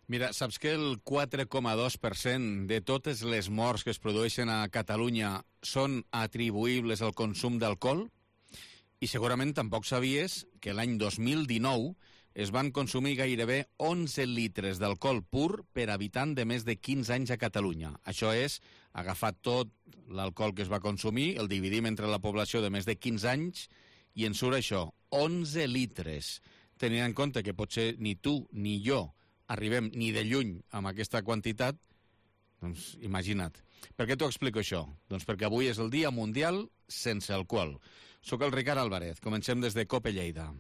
Mira, saps que el 4,2% de totes les morts que es produeixen a Catalunya són atribuïbles al consum d'alcohol? I segurament tampoc sabies que l'any 2019 es van consumir gairebé 11 litres d'alcohol pur per habitant de més de 15 anys a Catalunya. Això és, agafar tot l'alcohol que es va consumir, el dividim entre la població de més de 15 anys i ens surt això, 11 litres. Tenint en compte que potser ni tu ni jo arribem ni de lluny amb aquesta quantitat, doncs imagina't. Per què t'ho explico això? Doncs perquè avui és el Dia Mundial sense alcohol. Soc el Ricard Álvarez, comencem des de COPE Lleida.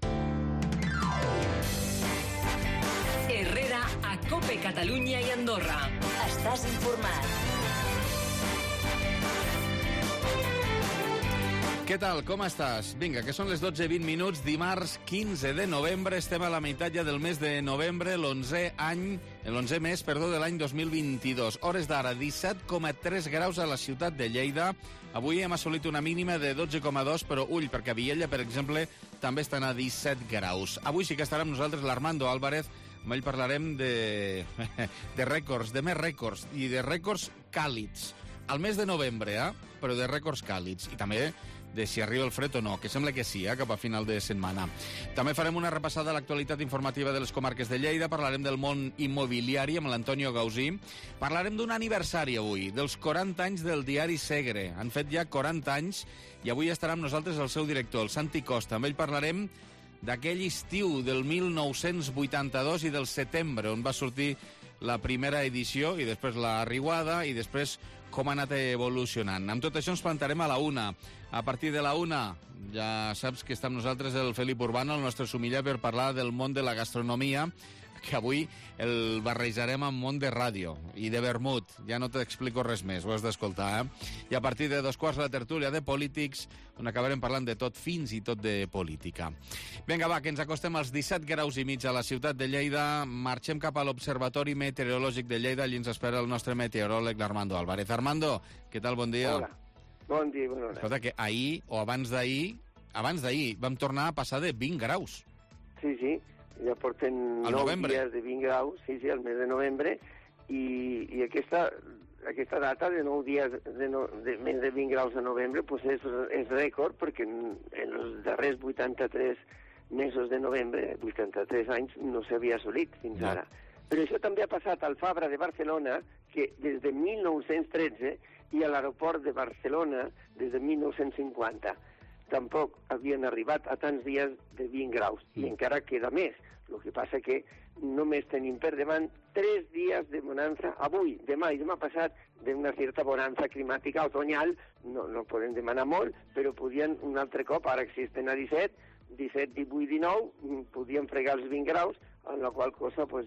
Herrera a COPE Catalunya i Andorra. Estàs informat. Què tal, com estàs? Vinga, que són les 12:20, dimarts 15 de novembre, estem a la meitat ja del mes de novembre, l'11è mes de l'any 2022. Hores d'ara, 17,3 graus a la ciutat de Lleida. Avui hem assolit una mínima de 12,2, però ull, perquè a Viella, per exemple, també estan a 17 graus. Avui sí que estarà amb nosaltres l'Armando Álvarez, amb ell parlarem de rècords, de més rècords, i de rècords càlids. Al mes de novembre, però de rècords càlids. I també de si arriba el fred o no, que sembla que sí, cap a final de setmana. També farem una repassada a l'actualitat informativa de les comarques de Lleida, parlarem del món immobiliari amb l'Antonio Gausí, parlarem d'un aniversari avui, dels 40 anys del diari Segre. Han fet ja 40 anys i avui estarà amb nosaltres el seu director, el Santi Costa. Amb ell parlarem d'aquell estiu del 1982 i del setembre, on va sortir la primera edició i després la riuada i després com ha anat evolucionant. Amb tot això ens plantarem a la 1. A partir de la 1 ja saps que està amb nosaltres el Felip Urbano, el nostre sumiller, per parlar del món de la gastronomia, que avui el barrejarem amb món de ràdio i de vermut. Ja no t'explico res més, ho has d'escoltar, I a partir de 2:15 la tertúlia de polítics, on acabarem parlant de tot, fins i tot de política. Vinga, va, que ens acostem als 17 graus i mig a la ciutat de Lleida. Marxem cap a l'Observatori Meteorològic de Lleida. Allí ens espera el nostre meteoròleg, l'Armando Álvarez. Armando, què tal? Bon dia. Hola. Bon dia, bona hora. Escolta, que ahir o abans d'ahir vam tornar a passar de 20 graus. Sí, ja porten 9 dies de 20 graus, sí, al mes de novembre, i aquesta data de 9 dies de més de 20 graus a novembre pues és rècord, perquè en els darrers 83 mesos de novembre, 83 anys, no s'havia assolit fins ara. Però això també ha passat al Fabra de Barcelona, que des de 1913, i a l'aeroport de Barcelona des de 1950. Tampoc havien arribat a tants dies de 20 graus, i encara queda més. El que passa que només tenim per davant 3 dies de bonança avui, demà i demà passat, d'una certa bonança climàtica otoñal. No podem demanar molt, però podien un altre cop, ara existen a 17, 18, 19, podien fregar els 20 graus, en la qual cosa pues,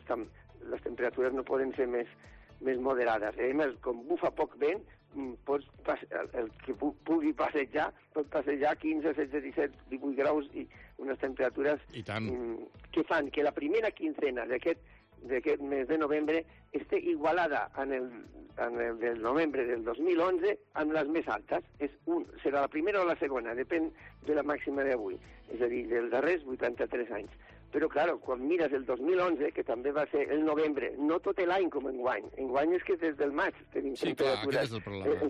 les temperatures no poden ser més moderades. A més, com bufa poc vent, el que pugui passejar, pot passejar 15, 16, 17, 18 graus i unes temperatures que fan que la primera quincena d'aquest mes de novembre esté igualada en el del novembre del 2011 amb les més altes. Serà la primera o la segona, depèn de la màxima d'avui, és a dir, dels darrers 83 anys. Però, clar, quan mires el 2011, que també va ser el novembre, no tot l'any com enguany. Enguany és que des del maig tenim temperatures... Sí, clar, aquest és el problema.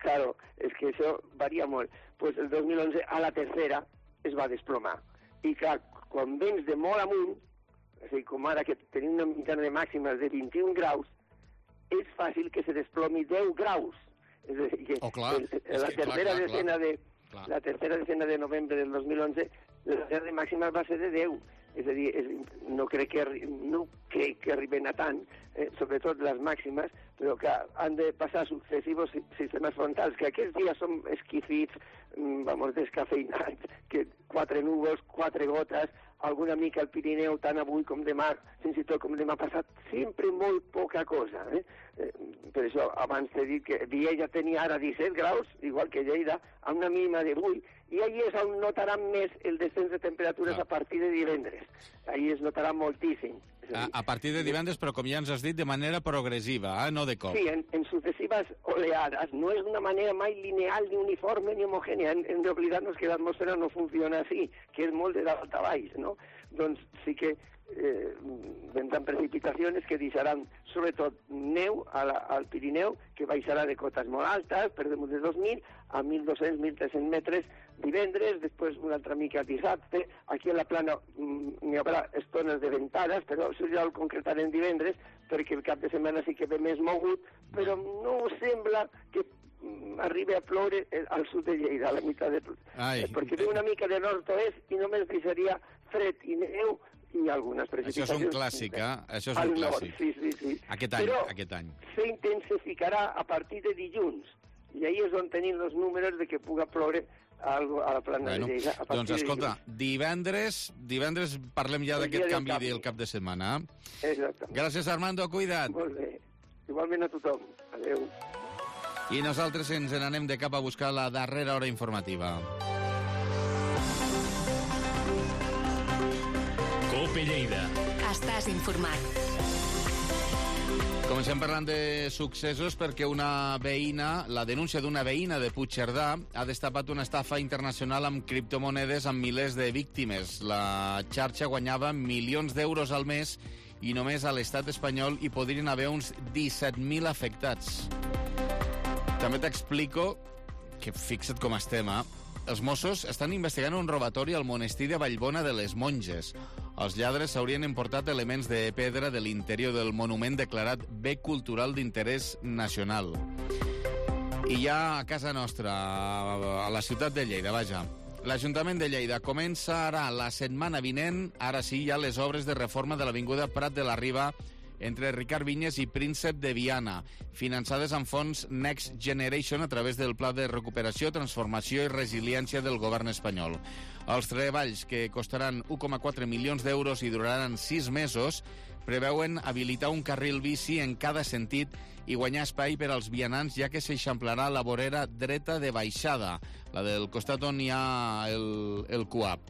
Claro, és que això varia molt. Pues el 2011, a la tercera, es va desplomar. I, clar, quan vens de molt amunt, és a dir, com ara que tenim una mitjana de màximes de 21 graus, és fàcil que se desplomi 10 graus. És a dir, que la tercera decena de novembre del 2011, la tercera màxima va ser de 10. És a dir, no crec que arriben a tant, sobretot les màximes, però que han de passar successius sistemes frontals, que aquests dies són esquifits, descafeinats, que 4 núvols, 4 gotes, alguna mica al Pirineu, tant avui com demà, fins i tot com demà passat, sempre molt poca cosa. Per això abans t'he dit que Viella tenia ara 17 graus, igual que Lleida, amb una mínima de 8, i allí és on notaran més el descens de temperatures a partir de divendres. Allí es notarà moltíssim. A partir de divendres, però com ja ens has dit, de manera progressiva, no de cop. Sí, en successives successives oleades. No és d'una manera mai lineal, ni uniforme, ni homogènia. Hem d'oblidar-nos que l'atmosfera no funciona així, que és molt de dalt a baix, no? Doncs sí que vendran precipitacions que deixaran sobretot neu al Pirineu, que baixarà de cotes molt altes, per damunt de 2.000 a 1.200-1.300 metres divendres, després una altra mica dissabte. Aquí a la plana n'hi haurà estones de ventades, però això ja ho concretarem divendres, perquè el cap de setmana sí que ve més mogut, però no sembla que arribi a ploure al sud de Lleida, a la meitat de... perquè ve una mica de nord-oest i només deixaria fred i neu i algunes precipitacions. Això és un clàssic, eh? Això és un clàssic. Sí. Aquest any. S'intensificarà a partir de dilluns, i ahí és on tenim els números de que puga ploure a la plana de Lleida. Doncs escolta, divendres parlem ja d'aquest canvi del cap de setmana. Exactament. Gràcies, Armando, cuida't. Molt bé. Igualment a tothom. Adéu. I nosaltres ens n'anem de cap a buscar la darrera hora informativa. Cope Lleida. Estàs informat. Comencem parlant de successos perquè la denúncia d'una veïna de Puigcerdà ha destapat una estafa internacional amb criptomonedes amb milers de víctimes. La xarxa guanyava milions d'euros al mes i només a l'estat espanyol hi podrien haver uns 17.000 afectats. També t'explico que fixa't com estem, Els Mossos estan investigant un robatori al monestir de Vallbona de les Monges. Els lladres s'haurien emportat elements de pedra de l'interior del monument declarat bé cultural d'interès nacional. I ja a casa nostra, a la ciutat de Lleida, vaja. L'Ajuntament de Lleida començarà la setmana vinent, ara sí, ja les obres de reforma de l'Avinguda Prat de la Riba entre Ricard Vinyes i Príncep de Viana, finançades amb fons Next Generation a través del Pla de Recuperació, Transformació i Resiliència del govern espanyol. Els treballs, que costaran 1,4 milions d'euros i duraran 6 mesos, preveuen habilitar un carril bici en cada sentit i guanyar espai per als vianants, ja que s'eixamplarà la vorera dreta de baixada, la del costat on hi ha el CUAP.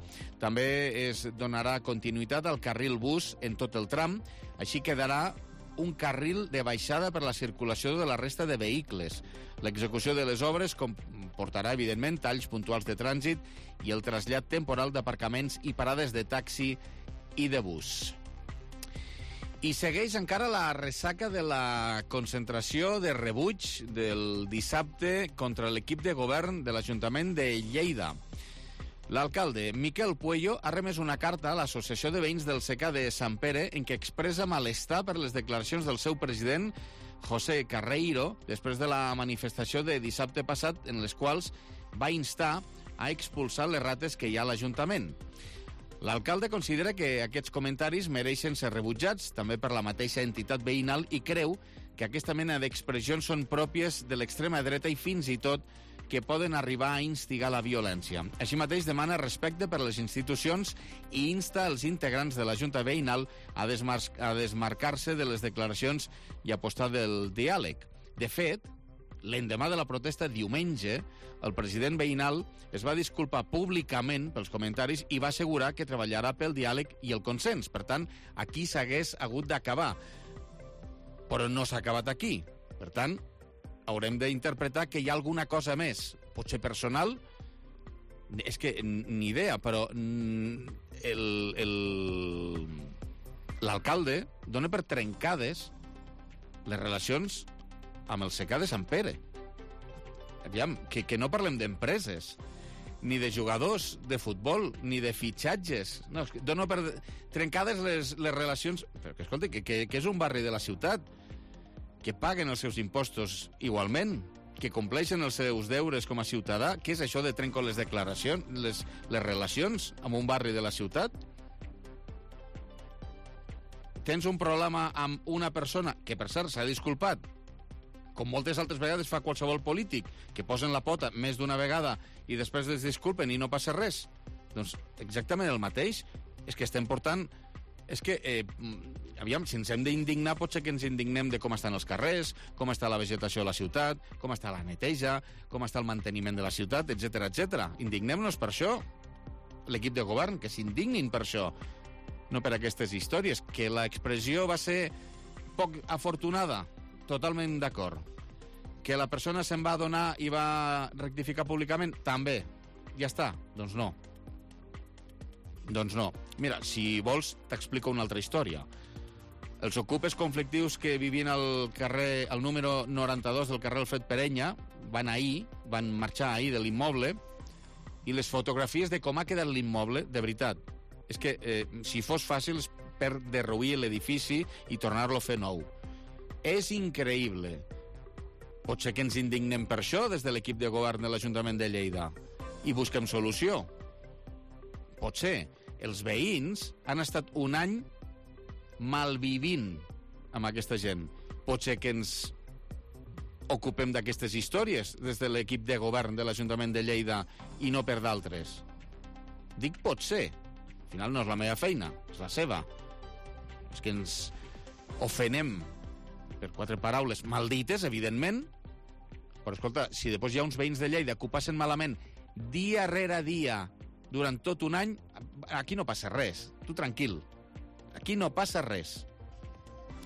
També es donarà continuïtat al carril bus en tot el tram, així quedarà un carril de baixada per la circulació de la resta de vehicles. L'execució de les obres comportarà, evidentment, talls puntuals de trànsit i el trasllat temporal d'aparcaments i parades de taxi i de bus. I segueix encara la ressaca de la concentració de rebuig del dissabte contra l'equip de govern de l'Ajuntament de Lleida. L'alcalde Miquel Puello ha remès una carta a l'Associació de Veïns del Secà de Sant Pere en què expressa malestar per les declaracions del seu president, José Carreiro, després de la manifestació de dissabte passat, en les quals va instar a expulsar les rates que hi ha a l'Ajuntament. L'alcalde considera que aquests comentaris mereixen ser rebutjats, també per la mateixa entitat veïnal, i creu que aquesta mena d'expressions són pròpies de l'extrema dreta i fins i tot que poden arribar a instigar la violència. Així mateix demana respecte per les institucions i insta els integrants de la Junta Veïnal a desmarcar-se de les declaracions i apostar del diàleg. De fet, l'endemà de la protesta, diumenge, el president veïnal es va disculpar públicament pels comentaris i va assegurar que treballarà pel diàleg i el consens. Per tant, aquí s'hagués hagut d'acabar. Però no s'ha acabat aquí. Per tant, haurem d'interpretar que hi ha alguna cosa més, potser personal, és que ni idea, però l'alcalde dona per trencades les relacions amb el Secà de Sant Pere. Aviam, que no parlem d'empreses, ni de jugadors de futbol, ni de fitxatges. No, dona per trencades les relacions... Però que, escolta, que és un barri de la ciutat, que paguen els seus impostos igualment, que compleixen els seus deures com a ciutadà. Què és això de trenco les declaracions, les relacions amb un barri de la ciutat? Tens un problema amb una persona que, per cert, s'ha disculpat, com moltes altres vegades fa qualsevol polític, que posen la pota més d'una vegada i després es disculpen i no passa res. Doncs exactament el mateix. És que estem portant... És que, aviam, si ens hem d'indignar, potser que ens indignem de com estan els carrers, com està la vegetació a la ciutat, com està la neteja, com està el manteniment de la ciutat, etc etc. Indignem-nos per això. L'equip de govern, que s'indignin per això, no per aquestes històries. Que l'expressió va ser poc afortunada, totalment d'acord. Que la persona se'n va adonar i va rectificar públicament? També. Ja està? Doncs no. Doncs no. Mira, si vols, t'explico una altra història. Els ocupes conflictius que vivien al carrer, al número 92 del carrer Alfred Perenya, van marxar ahir de l'immoble, i les fotografies de com ha quedat l'immoble, de veritat, és que si fos fàcil és per derruir l'edifici i tornar-lo a fer nou. És increïble. Potser que ens indignem per això des de l'equip de govern de l'Ajuntament de Lleida i busquem solució. Potser. Els veïns han estat un any malvivint amb aquesta gent. Potser que ens ocupem d'aquestes històries des de l'equip de govern de l'Ajuntament de Lleida i no per d'altres. Dic potser. Al final no és la meva feina, és la seva. És que ens ofenem per 4 paraules maldites, evidentment, però escolta, si després hi ha uns veïns de Lleida que ho passen malament dia rere dia durant tot un any, aquí no passa res. Tu tranquil. Aquí no passa res.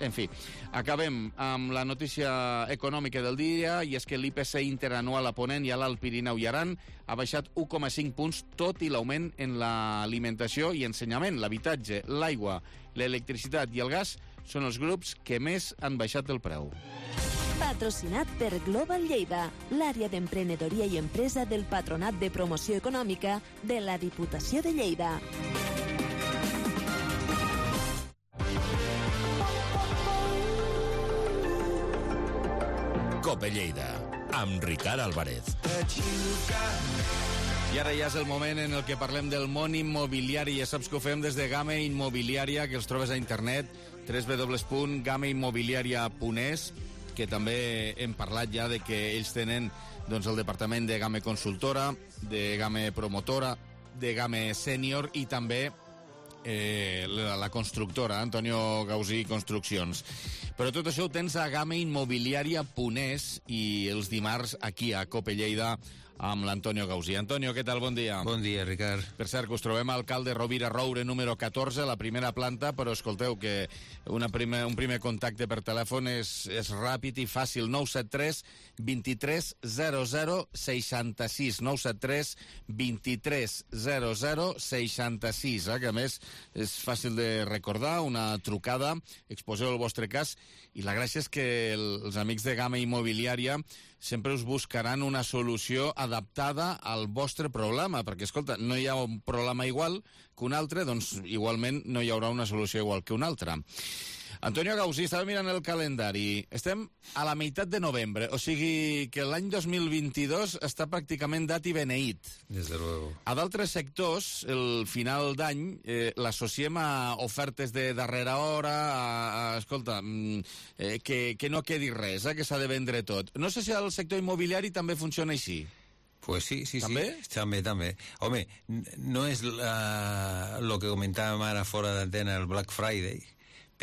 En fi, acabem amb la notícia econòmica del dia, i és que l'IPC interanual a Ponent i a l'Alt Pirineu i Aran ha baixat 1,5 punts, tot i l'augment en l'alimentació i ensenyament, l'habitatge, l'aigua, l'electricitat i el gas són els grups que més han baixat el preu. Patrocinat per Global Lleida, l'àrea d'emprenedoria i empresa del Patronat de Promoció Econòmica de la Diputació de Lleida. Cope Lleida, amb Ricard Álvarez. I ara ja és el moment en el que parlem del món immobiliari. Ja saps que ho fem des de Game Immobiliària, que els trobes a internet, www.gameimmobiliaria.es, que també hem parlat ja de que ells tenen doncs, el departament de Game Consultora, de Game Promotora, de Game Sènior i també la constructora, Antonio Gausí Construccions. Però tot això ho tens a gameimmobiliaria.es i els dimarts aquí a Cope Lleida amb l'Antonio Gausí. Antonio, què tal? Bon dia. Bon dia, Ricard. Per cert, que us trobem al Calde Rovira Roure número 14, la primera planta, però escolteu que un primer contacte per telèfon és ràpid i fàcil. 973 23 00 66. 973 23 00 66, que a més és fàcil de recordar, una trucada, exposeu el vostre cas, i la gràcia és que els amics de Game Immobiliària sempre us buscaran una solució adaptada al vostre problema, perquè, escolta, no hi ha un problema igual que un altre, doncs igualment no hi haurà una solució igual que una altra. Antonio Gausí, estava mirant el calendari. Estem a la meitat de novembre, o sigui que l'any 2022 està pràcticament dat i beneït. Des de luego. A d'altres sectors, el final d'any l'associem a ofertes de darrera hora, escolta, que no quedi res, que s'ha de vendre tot. No sé si el sector immobiliari també funciona així. Pues sí. ¿També? També. Home, no és lo que comentàvem ara fora d'antena, el Black Friday,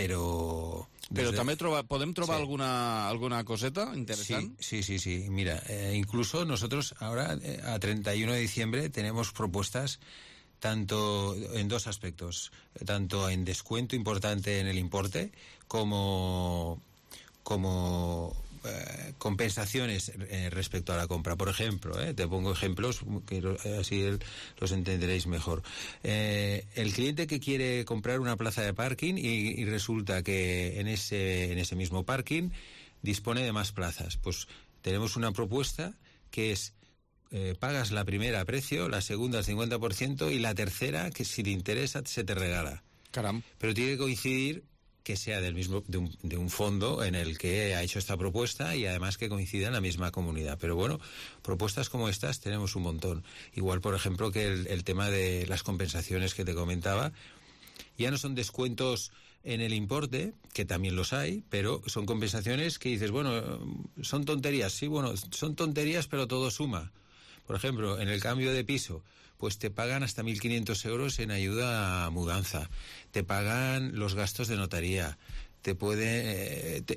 però també podem trobar alguna coseta interesante. Sí. Mira, incluso nosotros ahora a 31 de diciembre tenemos propuestas tanto en dos aspectos, tanto en descuento importante en el importe como compensaciones respecto a la compra. Por ejemplo, te pongo ejemplos que así los entenderéis mejor. El cliente que quiere comprar una plaza de parking y resulta que en ese mismo parking dispone de más plazas, pues tenemos una propuesta que es pagas la primera a precio, la segunda al 50% y la tercera, que si te interesa, se te regala. Caram. Pero tiene que coincidir que sea del mismo de un fondo en el que ha hecho esta propuesta y además que coincida en la misma comunidad. Pero bueno, propuestas como estas tenemos un montón. Igual, por ejemplo, que el tema de las compensaciones que te comentaba, ya no son descuentos en el importe, que también los hay, pero son compensaciones que dices, bueno, son tonterías. Sí, bueno, son tonterías, pero todo suma. Por ejemplo, en el cambio de piso, pues te pagan hasta 1.500 euros en ayuda a mudanza, te pagan los gastos de notaría,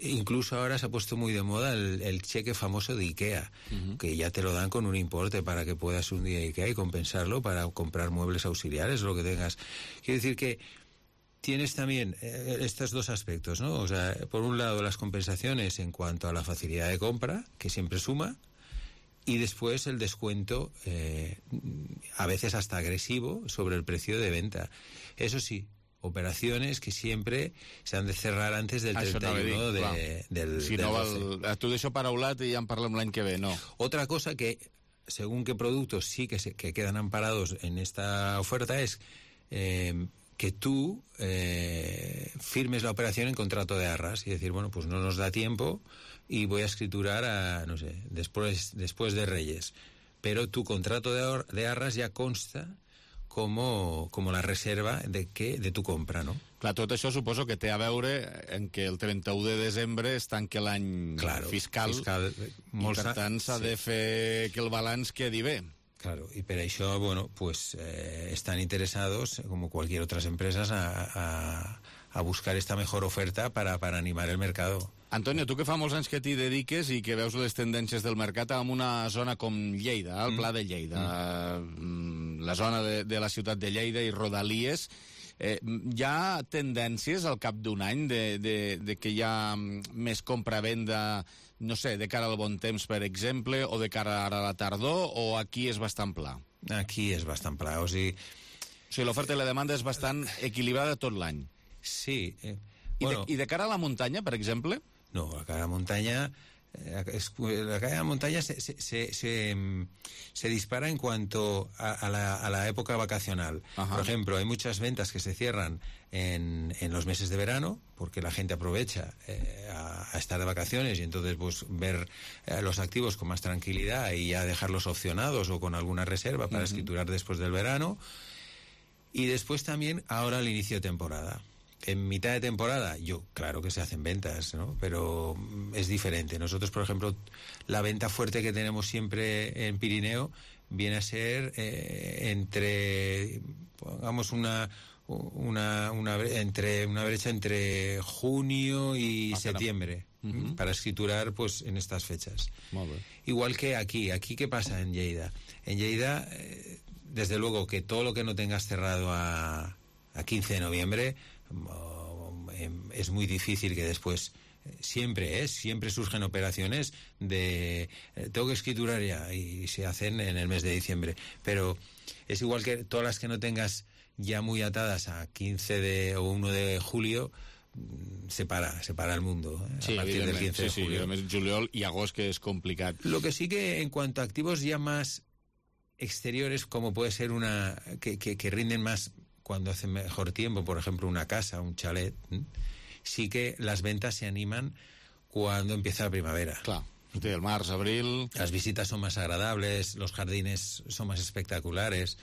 incluso ahora se ha puesto muy de moda el cheque famoso de IKEA, que ya te lo dan con un importe para que puedas un día a IKEA y compensarlo para comprar muebles auxiliares o lo que tengas. Quiero decir que tienes también estos dos aspectos, ¿no? O sea, por un lado las compensaciones en cuanto a la facilidad de compra, que siempre suma, y después el descuento, a veces hasta agresivo, sobre el precio de venta. Eso sí, operaciones que siempre se han de cerrar antes del 31 del... Si no, tu deixo paraulat i ja en parlem l'any que ve, no. Otra cosa que, según qué productos sí que quedan amparados en esta oferta es que tú firmes la operación en contrato de arras y decir, bueno, pues no nos da tiempo y voy a escriturar no sé, después de Reyes. Pero tu contrato de arras ya consta como la reserva de tu compra, no? Clar, tot això suposo que té a veure en que el 31 de desembre es tanca l'any fiscal i per tant s'ha de fer que el balanç quedi bé. Claro, y por eso, bueno, pues están interesados, como cualquier otras empresas, a buscar esta mejor oferta para animar el mercado. Antonio, tu que fa molts anys que t'hi dediques i que veus les tendències del mercat en una zona com Lleida, el Pla de Lleida, la zona de la ciutat de Lleida i Rodalies, hi ha tendències al cap d'un any de que hi ha més compra-venda, no sé, de cara al bon temps, per exemple, o de cara ara a la tardor, o aquí és bastant pla? Aquí és bastant pla, o sigui, l'oferta i la demanda és bastant equilibrada tot l'any. Sí. I de cara a la muntanya, per exemple? No, la cara a la montaña... La caída de la montaña se dispara en cuanto a la época vacacional. Ajá. Por ejemplo, hay muchas ventas que se cierran en los meses de verano, porque la gente aprovecha a estar de vacaciones y entonces pues ver los activos con más tranquilidad y ya dejarlos opcionados o con alguna reserva para escriturar después del verano. Y después también ahora el inicio de temporada. En mitad de temporada, claro que se hacen ventas, ¿no? Pero es diferente. Nosotros, por ejemplo, la venta fuerte que tenemos siempre en Pirineo viene a ser pongamos una brecha entre junio y septiembre, para escriturar pues en estas fechas. Igual que aquí. Aquí, ¿qué pasa en Lleida? En Lleida, desde luego que todo lo que no tengas cerrado a 15 de noviembre... es muy difícil que después siempre surgen operaciones de tengo que escriturar ya y se hacen en el mes de diciembre, pero es igual que todas las que no tengas ya muy atadas a 15 o 1 de julio, se para el mundo a partir del 15 de julio. Sí, juliol y agosto, que es complicado. Lo que sí que en cuanto a activos ya más exteriores, como puede ser que rinden más cuando hace mejor tiempo, por ejemplo una casa, un chalet, sí que las ventas se animan cuando empieza la primavera. Claro, el març, abril... Las visitas son más agradables, los jardines son más espectaculares,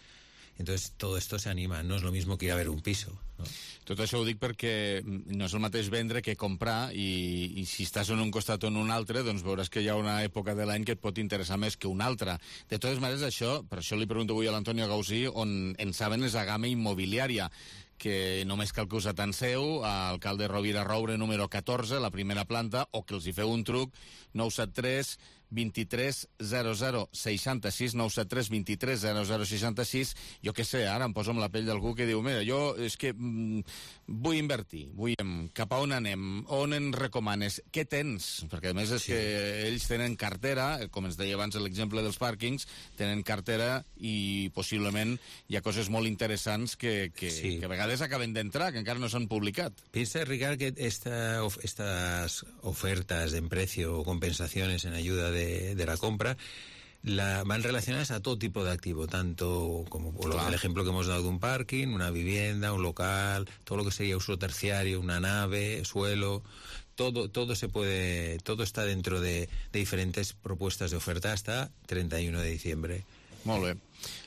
entonces todo esto se anima, no es lo mismo que ir a ver un piso, ¿no? Tot això ho dic perquè no és el mateix vendre que comprar, i si estàs en un costat o en un altre, doncs veuràs que hi ha una època de l'any que et pot interessar més que una altra. De totes maneres, per això li pregunto avui a l'Antonio Gausí, on en saben és a Gamma Immobiliària, que només cal que us atanseu a Alcalde Rovira Roure número 14, la primera planta, o que els hi feu un truc, 973 23 00 66, 973 23 00 66. Jo què sé, ara em poso amb la pell d'algú que diu, mira, jo és que vull invertir, cap a on anem, on ens recomanes, què tens? Perquè a més és que ells tenen cartera, com ens deia abans l'exemple dels pàrquings, tenen cartera i possiblement hi ha coses molt interessants que a vegades acaben d'entrar, que encara no s'han publicat. Piensa, Ricard, que estas ofertas en precio o compensaciones en ayuda de la compra van relacionadas a todo tipo de activo, tanto como el ejemplo que hemos dado de un parking, una vivienda, un local, todo lo que sería uso terciario, una nave, suelo, todo está dentro de diferentes propuestas de oferta hasta 31 de diciembre. Molt bé.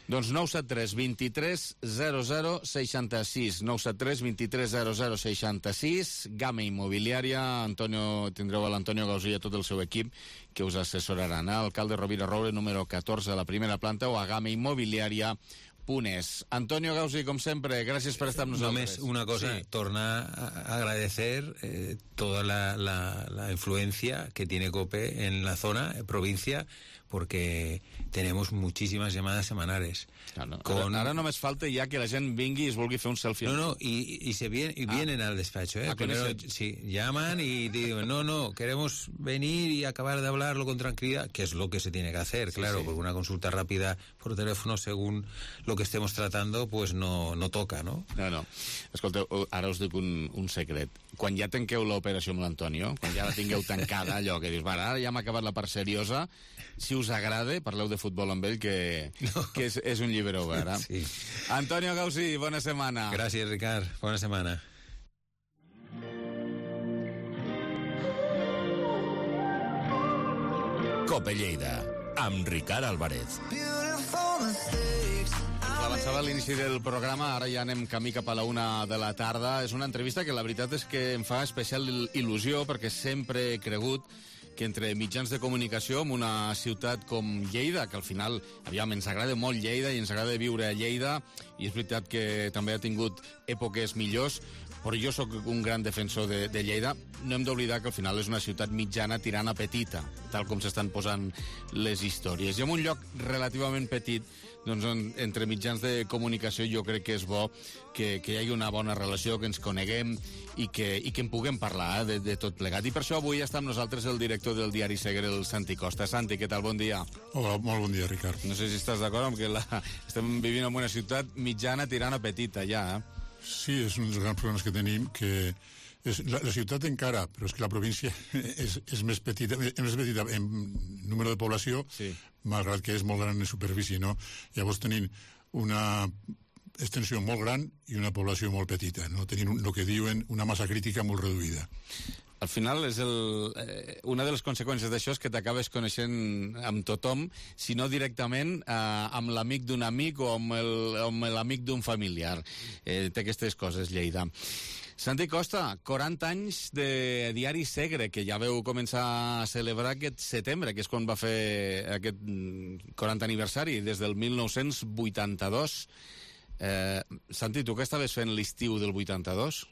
Doncs 973 23 00 66, 973 23 00 66, Gamma Immobiliària. Tindreu a l'Antonio Gausí i a tot el seu equip que us assessoraran. Alcalde Rovira Roure número 14 a la primera planta o a Gamma Immobiliària. Antonio Gausí, com sempre, gràcies per estar amb nosaltres. Només una cosa, tornar a agradecer toda la influencia que tiene COPE en la zona, provincia, porque tenemos muchísimas llamadas semanales. Claro, ahora només falta ya que la gent vingui y es vulgui fer un selfie. No, y vienen al despacho, Primero, sí, llaman y digo, no, queremos venir y acabar de hablarlo con tranquilidad, que es lo que se tiene que hacer, claro, porque una consulta rápida por teléfono, según lo que estemos tratando, pues no toca, no? No. Escolteu, ara us dic un secret. Quan ja tanqueu l'operació amb l'Antonio, quan ja la tingueu tancada, allò que dius, ara ja m'ha acabat la part seriosa, si us agrada, parleu de futbol amb ell, que és un llibre obert. Sí. Antonio Gausí, bona setmana. Gràcies, Ricard. Bona setmana. Cope Lleida, amb Ricard Álvarez. Avançava a l'inici del programa, ara ja anem camí cap a la 1 de la tarda. És una entrevista que la veritat és que em fa especial il·lusió, perquè sempre he cregut que entre mitjans de comunicació en una ciutat com Lleida, que al final, ens agrada molt Lleida i ens agrada viure a Lleida, i és veritat que també ha tingut èpoques millors, però jo sóc un gran defensor de Lleida. No hem d'oblidar que al final és una ciutat mitjana tirant a petita, tal com s'estan posant les històries. I en un lloc relativament petit, doncs entre mitjans de comunicació jo crec que és bo que hi hagi una bona relació, que ens coneguem i que en puguem parlar de tot plegat. I per això avui està amb nosaltres el director del diari Segre, el Santi Costa. Santi, què tal? Bon dia. Hola, molt bon dia, Ricard. No sé si estàs d'acord amb que estem vivint en una ciutat mitjana tirant a petita ja, Sí, és un dels grans problemes que tenim, que la ciutat encara, però és que la província és més petita en número de població, sí, malgrat que és molt gran en superfície, no? Llavors tenim una extensió molt gran i una població molt petita, no? Tenim el que diuen una massa crítica molt reduïda. Al final, una de les conseqüències d'això és que t'acabes coneixent amb tothom, si no directament amb l'amic d'un amic o amb l'amic d'un familiar. Té aquestes coses, Lleida. Santi Costa, 40 anys de diari Segre, que ja veu començar a celebrar aquest setembre, que és quan va fer aquest 40 aniversari, des del 1982. Santi, tu què estaves fent l'estiu del 82?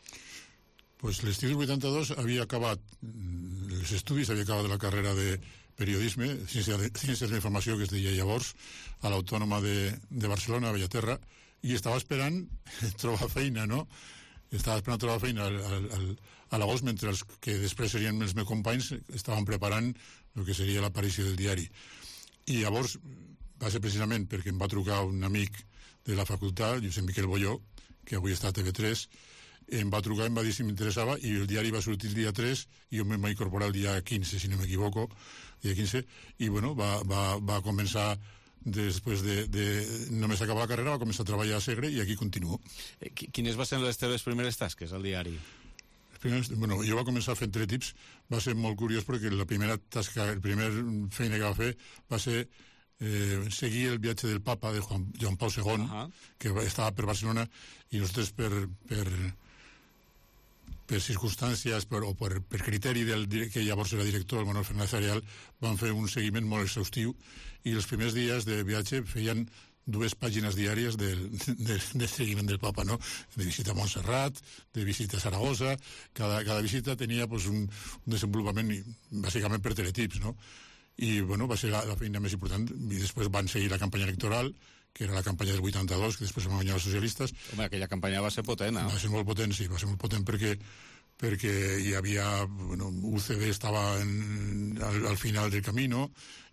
Pues l'estiu del 82 havia acabat els estudis, havia acabat la carrera de periodisme, Ciències de la Informació, que es deia llavors, a l'Autònoma de Barcelona, a Bellaterra, i estava esperant trobar feina, no? Estava esperant trobar feina a l'agost, mentre els que després serien els meus companys estaven preparant el que seria l'aparició del diari. I llavors va ser precisament perquè em va trucar un amic de la facultat, Josep Miquel Bolló, que avui està a TV3, em va trucar, em va dir si m'interessava, i el diari va sortir el dia 3 i jo em vaig incorporar el dia 15, si no m'equivoco, dia 15, i bueno, va començar, després de només acabar la carrera, va començar a treballar a Segre i aquí continuo. Quines van ser les teves primeres tasques al diari? Bueno, jo va començar fent teletips, va ser molt curiós perquè la primera tasca, la primera feina que va fer va ser seguir el viatge del papa de Joan Pau II, que estava per Barcelona, i nosaltres per circumstàncies o per criteri del que llavors era director, el Manuel Fernández Arial, van fer un seguiment molt exhaustiu, i els primers dies de viatge feien 2 pàgines diàries del seguiment del papa, no? De visita a Montserrat, de visita a Saragossa. Cada visita tenia pues, un desenvolupament bàsicament per teletips, no? I bueno, va ser la feina més important, i després van seguir la campanya electoral, que era la campanya del 82, que després van guanyar els socialistes. Home, aquella campanya va ser potent, Va ser molt potent, sí, va ser molt potent perquè hi havia... Bueno, UCD estava al final del camí, no?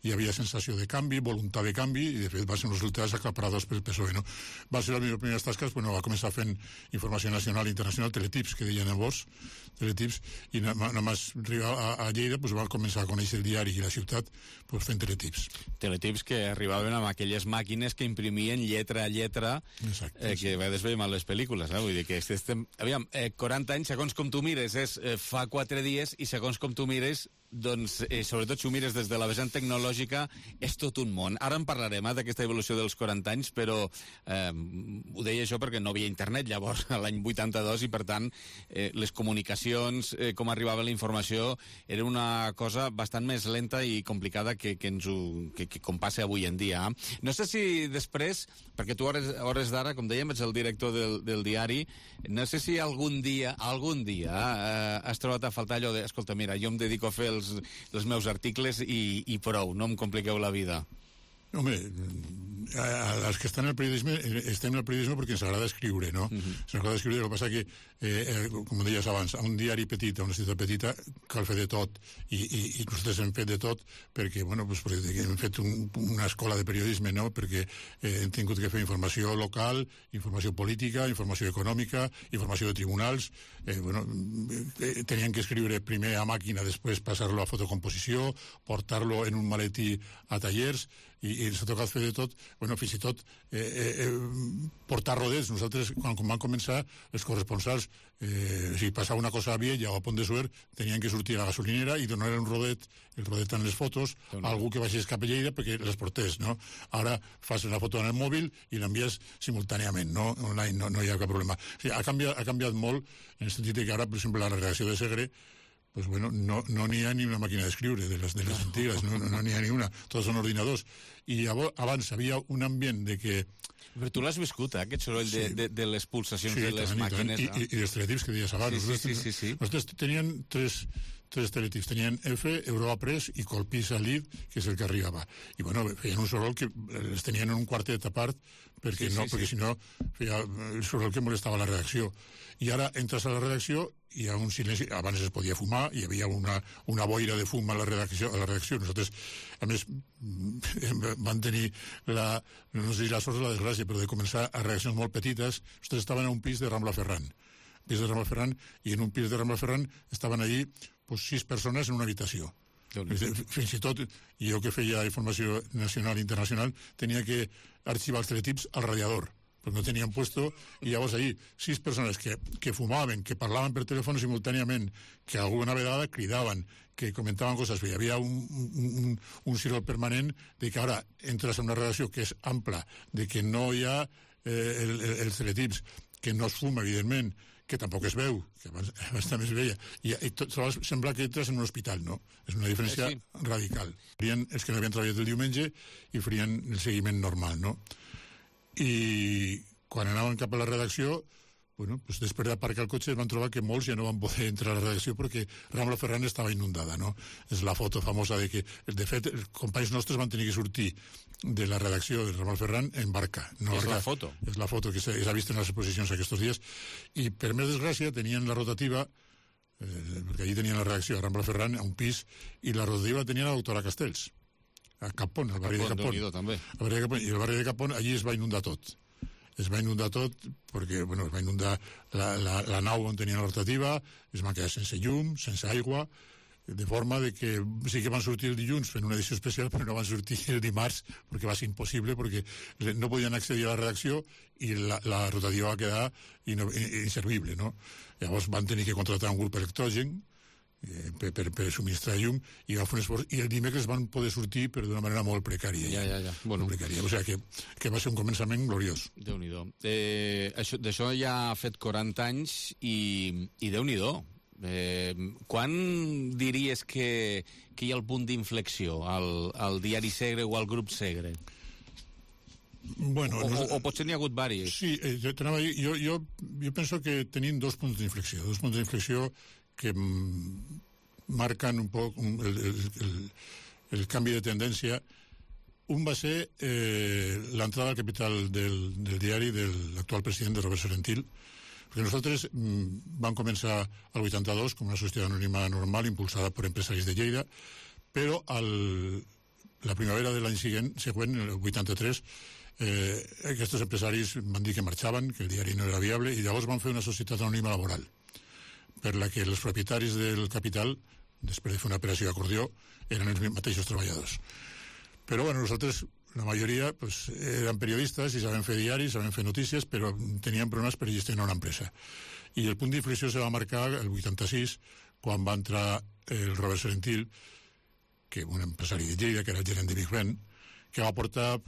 Hi havia sensació de canvi, voluntat de canvi, i de fet va ser uns resultats acaparadors pel PSOE, no? Va ser les meves primeres tasques, bueno, va començar fent informació nacional i internacional, teletips, que deien llavors, teletips, i només arribar a Lleida pues, va començar a conèixer el diari i la ciutat pues, fent teletips. Teletips que arribaven amb aquelles màquines que imprimien lletra a lletra. Exacte, que a vegades veiem a les pel·lícules, vull dir que estem... Aviam, 40 anys, segons com tu mires, és fa 4 dies, i segons com tu mires, doncs, sobretot si ho mires des de la vessant tecnològica, és tot un món. Ara en parlarem d'aquesta evolució dels 40 anys, però ho deia això perquè no havia internet llavors, l'any 82, i per tant les comunicacions, com arribava la informació, era una cosa bastant més lenta i complicada que com passa avui en dia. No sé si després, perquè tu hores d'ara, com dèiem, ets el director del diari, no sé si algun dia has trobat a faltar allò de, escolta, mira, jo em dedico a fer els meus articles i prou, no em compliqueu la vida. Home, els que estan en el periodisme estem en el periodisme perquè ens agrada escriure, no? Ens agrada escriure, el que passa que com deies abans, a un diari petit, a una ciutat petita cal fer de tot i nosaltres hem fet de tot perquè, bueno, pues, perquè hem fet una escola de periodisme, no? Perquè hem tingut que fer informació local, informació política, informació econòmica, informació de tribunals, bueno, tenien que escriure primer a màquina, després passar-lo a fotocomposició, portar-lo en un maletí a tallers i ens ha tocat fer de tot, bueno, fins i tot portar rodets. Nosaltres, quan van començar, els corresponsals, si passava una cosa vella o a Pont de Suert, tenien que sortir a la gasolinera i donar un rodet, el rodet en les fotos, a algú que baixés cap a Lleida perquè les portés, no? Ara fas una foto en el mòbil i l'envies simultàniament, no? Online, no hi ha cap problema. O sigui, ha canviat molt, en el sentit que ara, per exemple, la redacció de Segre, pues bueno, no n'hi ha ni una màquina d'escriure de les antigues, no n'hi ha ni una, tots són ordinadors. I abans havia un ambient de que... Però tu l'has viscut, aquest soroll de les pulsacions de les màquines. I els teletips que deies abans. Sí. Nosaltres tenien tres teletips. Tenien F, Europa Press i Colpisa Lid, que és el que arribava. I bueno, feien un soroll que els tenien en un quartet a part, perquè si no feia el soroll que molestava la redacció. I ara entres a la redacció i hi ha un silenci. Abans es podia fumar, hi havia una boira de fum a la redacció. Nosaltres, a més, van tenir no sé si la sort o la desgràcia, però de començar a redaccions molt petites. Nosaltres estaven a un pis de Rambla Ferran. I en un pis de Rambla Ferran estaven allí 6 persones en una habitació. Fins i tot, jo que feia informació nacional i internacional, tenia que arxivar els teletips al radiador, perquè no tenien puesto, i llavors allí 6 persones que fumaven, que parlaven per telèfon simultàniament, que alguna vegada cridaven, que comentaven coses, hi havia un cirol permanent de que ara entres en una redacció que és ampla, de que no hi ha els teletips, que no es fuma, evidentment, que tampoc es veu, que abans també es veia, i sembla que entres en un hospital, no? És una diferència radical. Farien els que no havien treballat el diumenge i farien el seguiment normal, no? I quan anaven cap a la redacció, bueno, pues després d'aparcar el cotxe van trobar que molts ja no van poder entrar a la redacció perquè Rambla Ferran estava inundada, no? És la foto famosa de que, de fet, els companys nostres van tenir que sortir de la redacció de Rambla Ferran en barca. És la foto. És la foto que s'ha vist en les exposicions aquests dies. I per més desgràcia tenien la rotativa, perquè allí tenien la redacció a Rambla Ferran, a un pis, i la rotativa la tenia la doctora Castells, a Capón, al barri de Capón. I el barri de Capón allí es va inundar tot. Es va inundar tot perquè, bueno, es va inundar la nau on tenia la rotativa, es va quedar sense llum, sense aigua, de forma de que sí que van sortir el dilluns fent una edició especial, però no van sortir el dimarts perquè va ser impossible, perquè no podien accedir a la redacció i la rotativa va quedar inservible, no? Llavors van tenir que contractar un grup electrogen per subministrar llum i va fer un esforç, i el dimecres van poder sortir però d'una manera molt precària. Ja. Bueno. Molt precària. O sigui que va ser un començament gloriós. Déu-n'hi-do. D'això ja ha fet 40 anys i Déu-n'hi-do. Quan diries que hi ha el punt d'inflexió al diari Segre o al grup Segre? Bueno, o potser n'hi ha hagut diversos? Sí, jo penso que tenim dos punts d'inflexió que marquen un poc el canvi de tendència. Un va ser l'entrada al capital del diari de l'actual president, de Robert Serentil, perquè nosaltres vam començar al 82 com una societat anònima normal impulsada per empresaris de Lleida, però la primavera de l'any següent, el 83, aquests empresaris van dir que marxaven, que el diari no era viable, i llavors van fer una societat anònima laboral, per la que els propietaris del capital, després de fer una operació d'acordió, eren els mateixos treballadors. Però bueno, nosaltres, la majoria, pues, eren periodistes i sabem fer diaris, sabem fer notícies, però teníem problemes per gestionar una empresa. I el punt d'inflexió se va marcar el 86, quan va entrar el Robert Serentil, que un empresari de Lleida, que era el gerent de Big Ben, que va aportar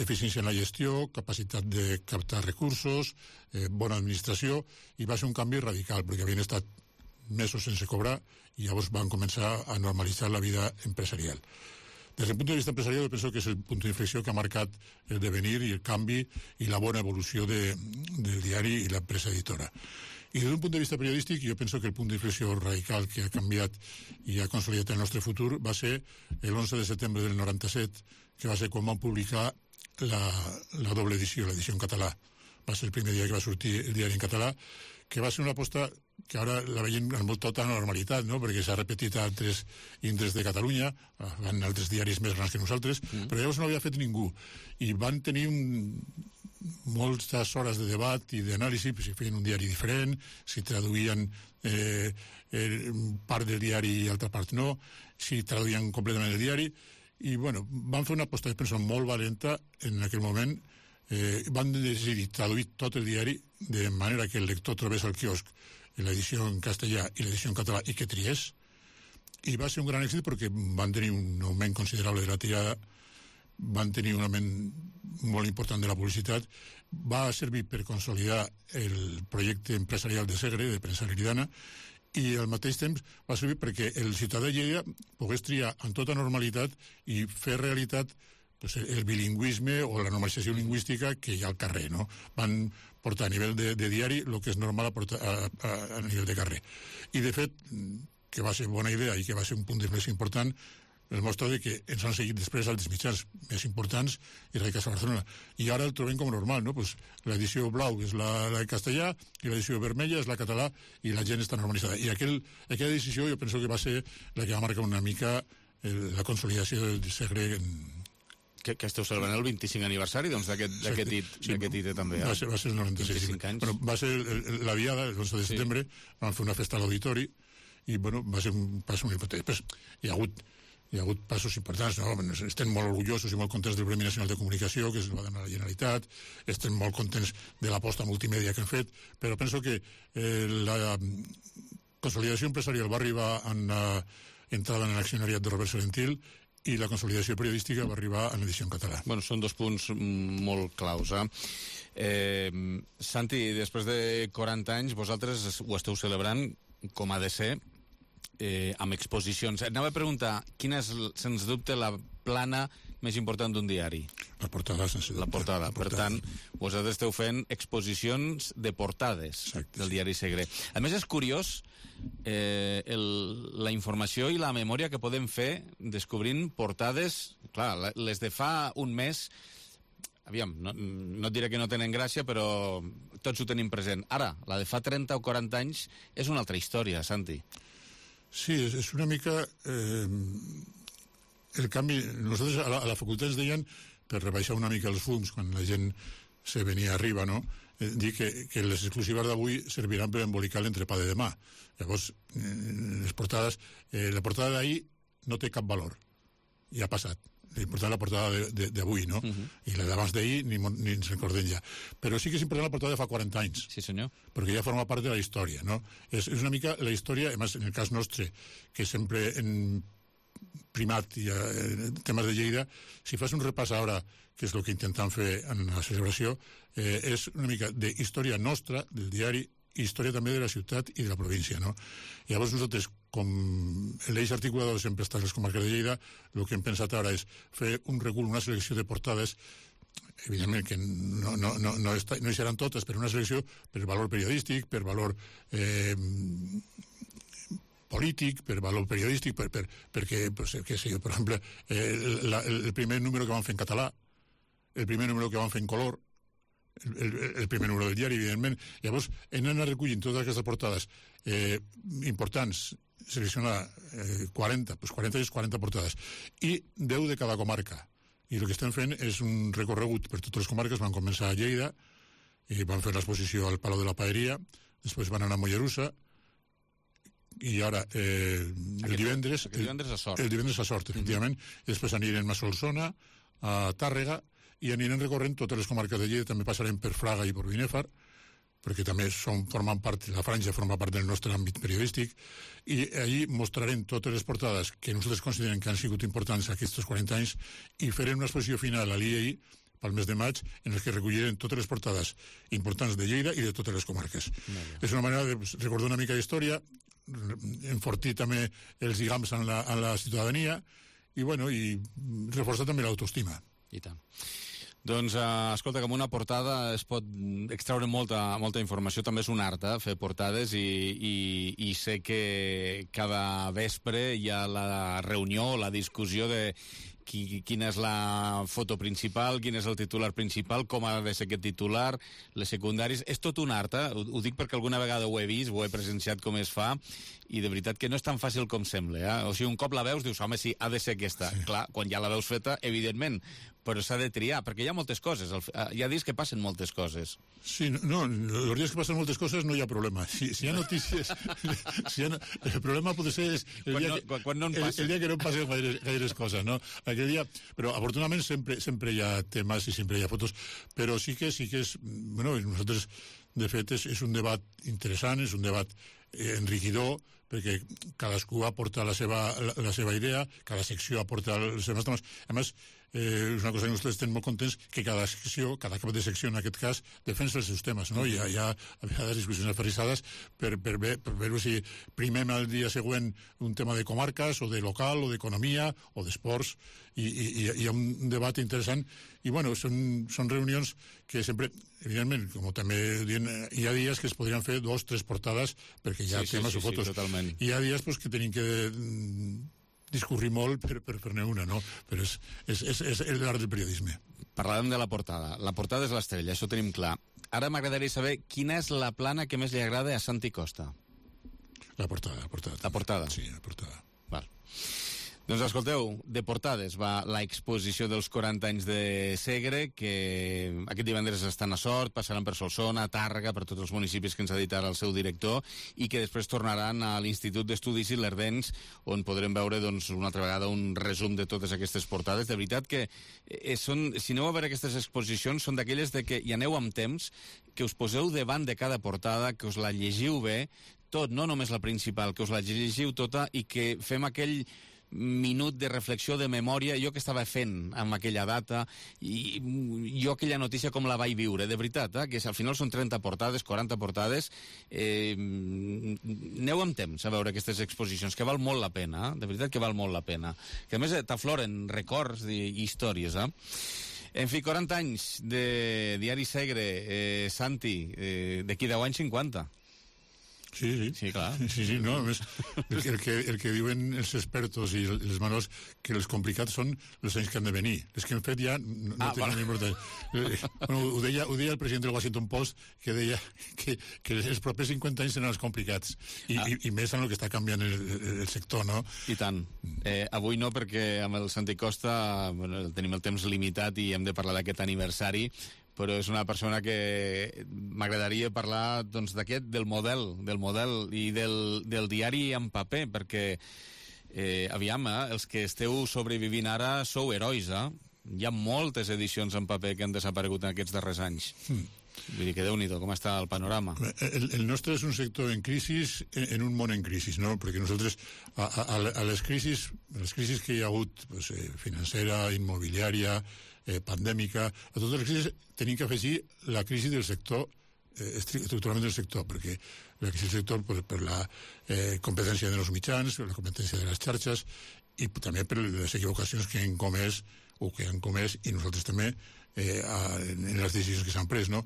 eficiència en la gestió, capacitat de captar recursos, bona administració, i va ser un canvi radical, perquè havien estat mesos sense cobrar i llavors van començar a normalitzar la vida empresarial. Des del punt de vista empresarial, penso que és el punt d'inflexió que ha marcat el devenir i el canvi i la bona evolució del diari i l'empresa editora. I des d'un punt de vista periodístic, jo penso que el punt d'inflexió radical que ha canviat i ha consolidat el nostre futur va ser l'11 de setembre del 97, que va ser quan vam publicar la doble edició, l'edició en català. Va ser el primer dia que va sortir el diari en català, que va ser una aposta que ara la veiem amb tota normalitat, no? Perquè s'ha repetit a altres indrets de Catalunya, van altres diaris més grans que nosaltres, però llavors no havia fet ningú. I van tenir moltes hores de debat i d'anàlisi, si feien un diari diferent, si traduïen part del diari i altra part no, si traduïen completament el diari, i bueno, van fer una aposta, penso, molt valenta en aquell moment. Van decidir traduir tot el diari de manera que el lector trobés al quiosc l'edició en castellà i l'edició en català i que triés, i va ser un gran èxit perquè van tenir un augment considerable de la tirada, van tenir un augment molt important de la publicitat, va servir per consolidar el projecte empresarial de Segre, de Premsa Leridana, i al mateix temps va servir perquè el ciutadà de Lleida pogués triar amb tota normalitat i fer realitat el bilingüisme o la normalització lingüística que hi ha al carrer, no? Van portar a nivell de diari el que és normal a nivell de carrer. I, de fet, que va ser bona idea i que va ser un punt d'inflexió important, el mostra que ens han seguit després altres mitjans més importants i radicats a Barcelona. I ara el trobem com normal, no? Pues l'edició blau és la de castellà i l'edició vermella és la català i la gent està normalitzada. I aquella decisió jo penso que va ser la que va marcar una mica la consolidació del Segre que esteu celebrant el 25 aniversari d'aquest hit també. Va ser el 96. 25 anys. Bueno, va ser la diada, el 11 de setembre, vam fer una festa a l'auditori i bueno, va ser un pas molt important. Després hi ha hagut passos importants, no? Estem molt orgullosos i molt contents del Premi Nacional de Comunicació, que es va donar a la Generalitat, estem molt contents de l'aposta multimèdia que han fet, però penso que la consolidació empresarial va arribar en l'entrada en l'accionariat de Robert Serentil i la consolidació periodística va arribar en l'edició en català. Bueno, són dos punts molt claus. Santi, després de 40 anys, vosaltres ho esteu celebrant, com ha de ser, amb exposicions. Anava a preguntar, quina és, sens dubte, la plana més important d'un diari? La portada, sense dubte. La portada. Per tant, vosaltres esteu fent exposicions de portades. Exacte, del diari Segre. A més, és curiós la informació i la memòria que podem fer descobrint portades, clar, les de fa un mes, aviam, no et diré que no tenen gràcia, però tots ho tenim present. Ara, la de fa 30 o 40 anys és una altra història, Santi. Sí, és una mica el canvi. Nosaltres a la facultat ens deien, per rebaixar una mica els fums quan la gent se venia arriba, no? Dir que les exclusives d'avui serviran per embolicar l'entrepà de demà. Llavors, les portades, la portada d'ahir no té cap valor. Ja ha passat. L'important és la portada d'avui, no? I la d'abans d'ahir ni ens recordem ja. Però sí que és important la portada de fa 40 anys. Sí, senyor. Perquè ja forma part de la història, no? És una mica la història, a més, en el cas nostre, que sempre en primat i temes de Lleida, si fas un repàs ara, que és el que intentem fer en la celebració, és una mica d'història nostra, del diari, i història també de la ciutat i de la província, no? Llavors nosaltres, com l'eix articulador sempre està en les comarques de Lleida, el que hem pensat ara és fer un recul, una selecció de portades, evidentment que no hi seran totes, però una selecció per valor periodístic, per valor polític, per valor periodístic, perquè, què sé jo, per exemple, el primer número que vam fer en català, el primer número que vam fer en color, el primer número del diari, evidentment. Llavors, hem anat recollint totes aquestes portades importants, seleccionar 40 és 40 portades, i 10 de cada comarca. I el que estem fent és un recorregut per totes les comarques. Van començar a Lleida, i van fer l'exposició al Palau de la Paeria, després van anar a Mollerussa, i ara el divendres a Sort. El divendres a Sort, efectivament, i després anirem a Solsona, a Tàrrega, i anirem recorrent totes les comarques de Lleida. També passarem per Fraga i per Binèfar, perquè també formen part, la franja forma part del nostre àmbit periodístic, i allí mostrarem totes les portades que nosaltres considerem que han sigut importants aquests 40 anys, i farem una exposició final a l'IEI pel mes de maig, en els que recollirem totes les portades importants de Lleida i de totes les comarques. És una manera de recordar una mica d'història, enfortir també els lligams en la ciutadania, i reforçar també l'autoestima. I tant. Doncs, escolta, que amb una portada es pot extraure molta informació. També és un art, fer portades, i sé que cada vespre hi ha la reunió, la discussió de quina és la foto principal, quin és el titular principal, com ha de ser aquest titular, les secundaris. És tot un art, ho dic perquè alguna vegada ho he vist, ho he presenciat com es fa, i de veritat que no és tan fàcil com sembla. O sigui, un cop la veus, dius, home, sí, ha de ser aquesta. Sí. Clar, quan ja la veus feta, evidentment, però s'ha de triar, perquè hi ha moltes coses. Hi ha dies que passen moltes coses. Sí, no, els dies que passen moltes coses no hi ha problema. Si hi ha notícies... el problema pot ser quan no en passa. El dia que no passen gaires coses, no? Aquell dia... Però, afortunadament, sempre hi ha temes i sempre hi ha fotos, però sí que és... Bueno, nosaltres, de fet, és un debat interessant, és un debat enriquidor, perquè cadascú aporta la seva idea, cada secció aporta els seus temes. A més, és una cosa que nosaltres estem molt contents, que cada cap de secció, en aquest cas, defensa els seus temes, no? Hi ha a vegades discussions aferrissades per veure si primem el dia següent un tema de comarques, o de local, o d'economia, o d'esports, i hi ha un debat interessant, i bueno, són reunions que sempre, evidentment, com també dient, hi ha dies que es podrien fer 2 o 3 portades, perquè hi ha temes o fotos. Totalment. Hi ha dies que tenim que discorrir molt per fer-ne una, no? Però és l'art del periodisme. Parlàvem de la portada. La portada és l'estrella, això ho tenim clar. Ara m'agradaria saber quina és la plana que més li agrada a Santi Costa. La portada. La portada? Sí, la portada. Val. Doncs escolteu, de portades va l'exposició dels 40 anys de Segre, que aquest divendres estan a Sort, passaran per Solsona, Tàrrega, per tots els municipis que ens ha dit ara el seu director, i que després tornaran a l'Institut d'Estudis Ilerdencs, on podrem veure, doncs, una altra vegada un resum de totes aquestes portades. De veritat que si aneu a veure aquestes exposicions, són d'aquelles de que hi aneu amb temps, que us poseu davant de cada portada, que us la llegiu bé, tot, no només la principal, que us la llegiu tota, i que fem aquell minut de reflexió, de memòria, jo que estava fent amb aquella data, i jo aquella notícia com la vaig viure, de veritat, que al final són 30 portades, 40 portades. Aneu amb temps a veure aquestes exposicions, que val molt la pena, de veritat que val molt la pena, que a més t'afloren records i històries. En fi, 40 anys de Diari Segre, Santi, d'aquí 10 anys 50. Sí, clar. Sí, no, a més, el que diuen els expertos i els manuals, que els complicats són els anys que han de venir. Els que hem fet ja no tenen importància. Ho deia el president del Washington Post, que deia que els propers 50 anys seran els complicats, i més en el que està canviant el sector, no? I tant. Avui no, perquè amb el Santi Costa tenim el temps limitat i hem de parlar d'aquest aniversari, però és una persona que m'agradaria parlar, doncs, del model i del diari en paper, perquè aviam, els que esteu sobrevivint ara sou herois, Hi ha moltes edicions en paper que han desaparegut en aquests darrers anys. Vull dir que Déu-n'hi-do, com està el panorama. El nostre és un sector en crisi, en un món en crisi, no? Perquè nosaltres, a les crisis que hi ha hagut, financera, immobiliària, pandèmica, a totes les crisis tenim que afegir la crisi del sector, estructuralment del sector, perquè la crisi del sector per la competència dels mitjans, per la competència de les xarxes, i també per les equivocacions que han comès i nosaltres també en les decisions que s'han pres, no?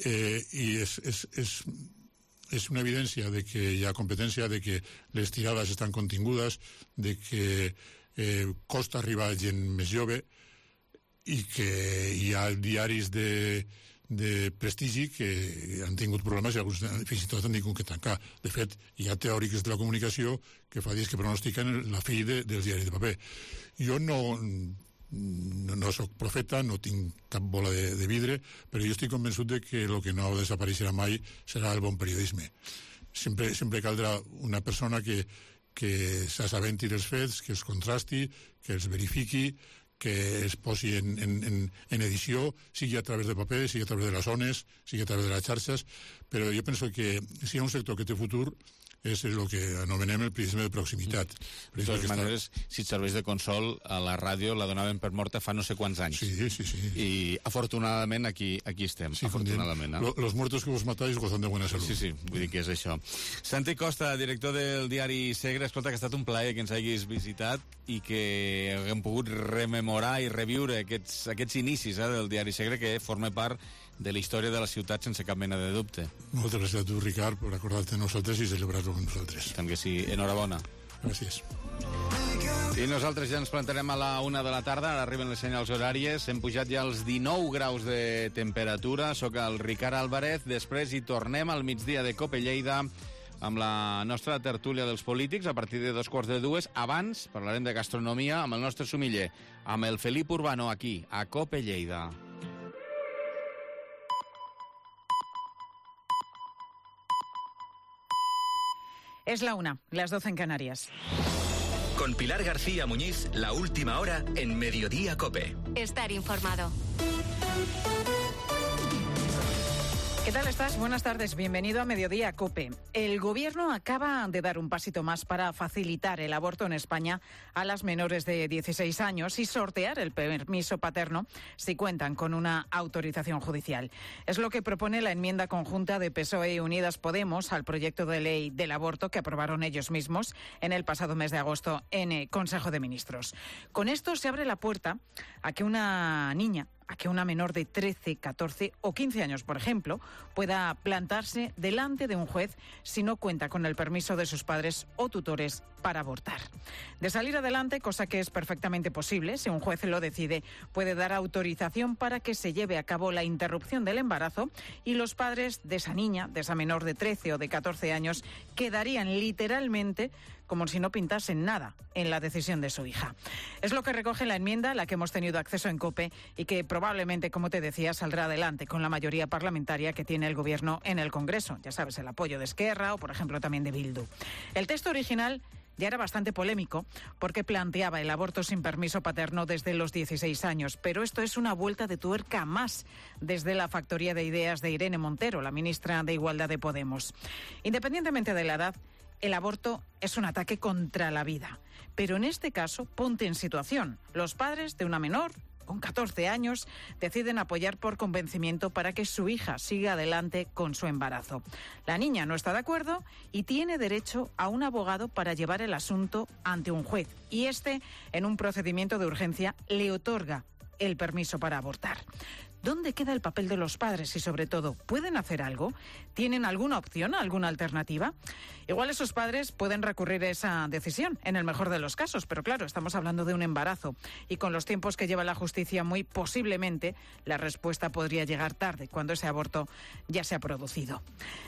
I és una evidència de que hi ha competència, de que les tirades estan contingudes, de que costa arribar a gent més jove, i que hi ha diaris de prestigi que han tingut problemes i alguns fins i tot han tingut que tancar. De fet, hi ha teòrics de la comunicació que fa dies que pronostiquen la fi dels diaris de paper. Jo no soc profeta, no tinc cap bola de vidre, però jo estic convençut de que el que no desapareixerà mai serà el bon periodisme. Sempre caldrà una persona que s'assabenti dels fets, que els contrasti, que els verifiqui, que es posi en edició, sigui a través de paper, sigui a través de les zones, sigui a través de les xarxes, però jo penso que si hi ha un sector que té futur és el que anomenem el prisma de proximitat. De totes maneres, si et serveix de consol, a la ràdio la donaven per morta fa no sé quants anys. Sí. I afortunadament aquí estem. Sí, afortunadament. Los muertos que vos matáis gozan de buena salud. Sí, vull dir que és això. Santi Costa, director del diari Segre, escolta, que ha estat un plaer que ens hagis visitat i que haguem pogut rememorar i reviure aquests inicis del diari Segre, que forma part de la història de la ciutat sense cap mena de dubte. Moltes gràcies a tu, Ricard, per acordar-te de nosaltres i celebrar-ho amb nosaltres. Tant que sí, enhorabona. Gràcies. I nosaltres ja ens plantarem a la 1 de la tarda, ara arriben les senyals horàries, hem pujat ja als 19 graus de temperatura, soc el Ricard Álvarez, després hi tornem al migdia de Cope Lleida, amb la nostra tertúlia dels polítics a partir de 2:45. Abans parlarem de gastronomia amb el nostre sumiller, amb el Felip Urbano, aquí, a Cope Lleida. Es la 1, las 12 en Canarias. Con Pilar García Muñiz, la última hora en Mediodía Cope. Estar informado. ¿Qué tal estás? Buenas tardes, bienvenido a Mediodía Cope. El Gobierno acaba de dar un pasito más para facilitar el aborto en España a las menores de 16 años y sortear el permiso paterno si cuentan con una autorización judicial. Es lo que propone la enmienda conjunta de PSOE y Unidas Podemos al proyecto de ley del aborto que aprobaron ellos mismos en el pasado mes de agosto en el Consejo de Ministros. Con esto se abre la puerta a que una menor de 13, 14 o 15 años, por ejemplo, pueda plantarse delante de un juez si no cuenta con el permiso de sus padres o tutores para abortar. De salir adelante, cosa que es perfectamente posible, si un juez lo decide, puede dar autorización para que se lleve a cabo la interrupción del embarazo y los padres de esa niña, de esa menor de 13 o de 14 años, quedarían literalmente como si no pintasen nada en la decisión de su hija. Es lo que recoge la enmienda a la que hemos tenido acceso en COPE y que probablemente, como te decía, saldrá adelante con la mayoría parlamentaria que tiene el Gobierno en el Congreso. Ya sabes, el apoyo de Esquerra o, por ejemplo, también de Bildu. El texto original ya era bastante polémico porque planteaba el aborto sin permiso paterno desde los 16 años, pero esto es una vuelta de tuerca más desde la factoría de ideas de Irene Montero, la ministra de Igualdad de Podemos. Independientemente de la edad, el aborto es un ataque contra la vida. Pero en este caso, ponte en situación. Los padres de una menor con 14 años deciden apoyar por convencimiento para que su hija siga adelante con su embarazo. La niña no está de acuerdo y tiene derecho a un abogado para llevar el asunto ante un juez. Y este, en un procedimiento de urgencia, le otorga el permiso para abortar. ¿Dónde queda el papel de los padres y, sobre todo, pueden hacer algo? ¿Tienen alguna opción, alguna alternativa? Igual esos padres pueden recurrir a esa decisión, en el mejor de los casos, pero claro, estamos hablando de un embarazo y con los tiempos que lleva la justicia, muy posiblemente la respuesta podría llegar tarde, cuando ese aborto ya se ha producido.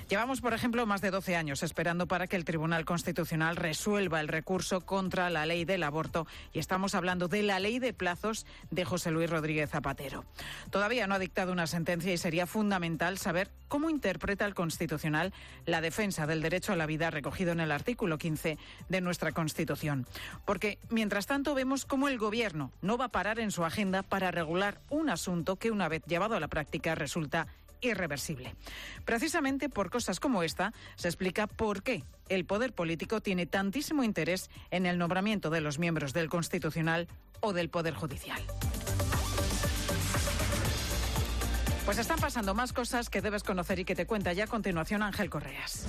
Llevamos, por ejemplo, más de 12 años esperando para que el Tribunal Constitucional resuelva el recurso contra la ley del aborto y estamos hablando de la ley de plazos de José Luis Rodríguez Zapatero. Todavía no ha dictado una sentencia y sería fundamental saber cómo interpreta el Constitucional la defensa del derecho a la vida recogido en el artículo 15 de nuestra Constitución. Porque, mientras tanto, vemos cómo el Gobierno no va a parar en su agenda para regular un asunto que, una vez llevado a la práctica, resulta irreversible. Precisamente por cosas como esta se explica por qué el poder político tiene tantísimo interés en el nombramiento de los miembros del Constitucional o del Poder Judicial. Pues están pasando más cosas que debes conocer y que te cuenta ya a continuación Ángel Correas.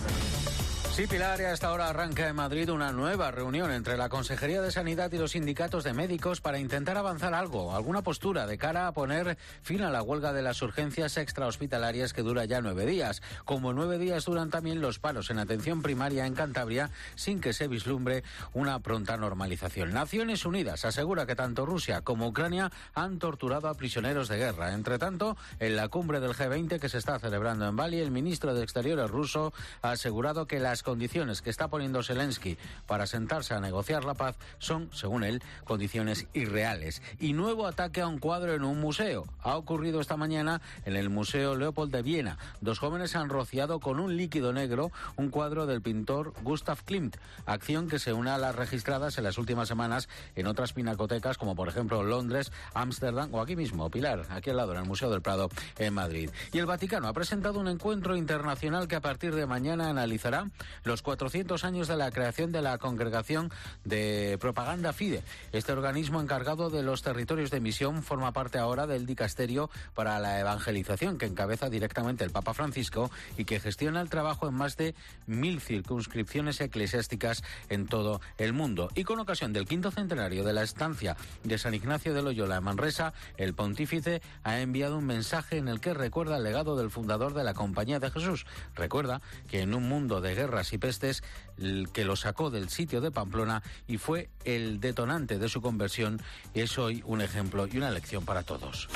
Sí, Pilar, y a esta hora arranca en Madrid una nueva reunión entre la Consejería de Sanidad y los sindicatos de médicos para intentar avanzar algo, alguna postura de cara a poner fin a la huelga de las urgencias extrahospitalarias que dura ya 9 días. Como 9 días duran también los paros en atención primaria en Cantabria, sin que se vislumbre una pronta normalización. Naciones Unidas asegura que tanto Rusia como Ucrania han torturado a prisioneros de guerra. Entre tanto, en la cumbre del G20 que se está celebrando en Bali, el ministro de Exteriores ruso ha asegurado que las condiciones que está poniendo Zelensky para sentarse a negociar la paz son, según él, condiciones irreales. Y nuevo ataque a un cuadro en un museo. Ha ocurrido esta mañana en el Museo Leopold de Viena. 2 jóvenes han rociado con un líquido negro un cuadro del pintor Gustav Klimt, acción que se une a las registradas en las últimas semanas en otras pinacotecas como por ejemplo Londres, Ámsterdam o aquí mismo, Pilar, aquí al lado en el Museo del Prado en Madrid. Y el Vaticano ha presentado un encuentro internacional que a partir de mañana analizará los 400 años de la creación de la Congregación de Propaganda Fide. Este organismo encargado de los territorios de misión forma parte ahora del Dicasterio para la Evangelización, que encabeza directamente el Papa Francisco y que gestiona el trabajo en más de 1000 circunscripciones eclesiásticas en todo el mundo. Y con ocasión del 5º centenario de la estancia de San Ignacio de Loyola en Manresa, el pontífice ha enviado un mensaje en el que recuerda el legado del fundador de la Compañía de Jesús. Recuerda que en un mundo de guerras y pestes, el que lo sacó del sitio de Pamplona y fue el detonante de su conversión, es hoy un ejemplo y una lección para todos.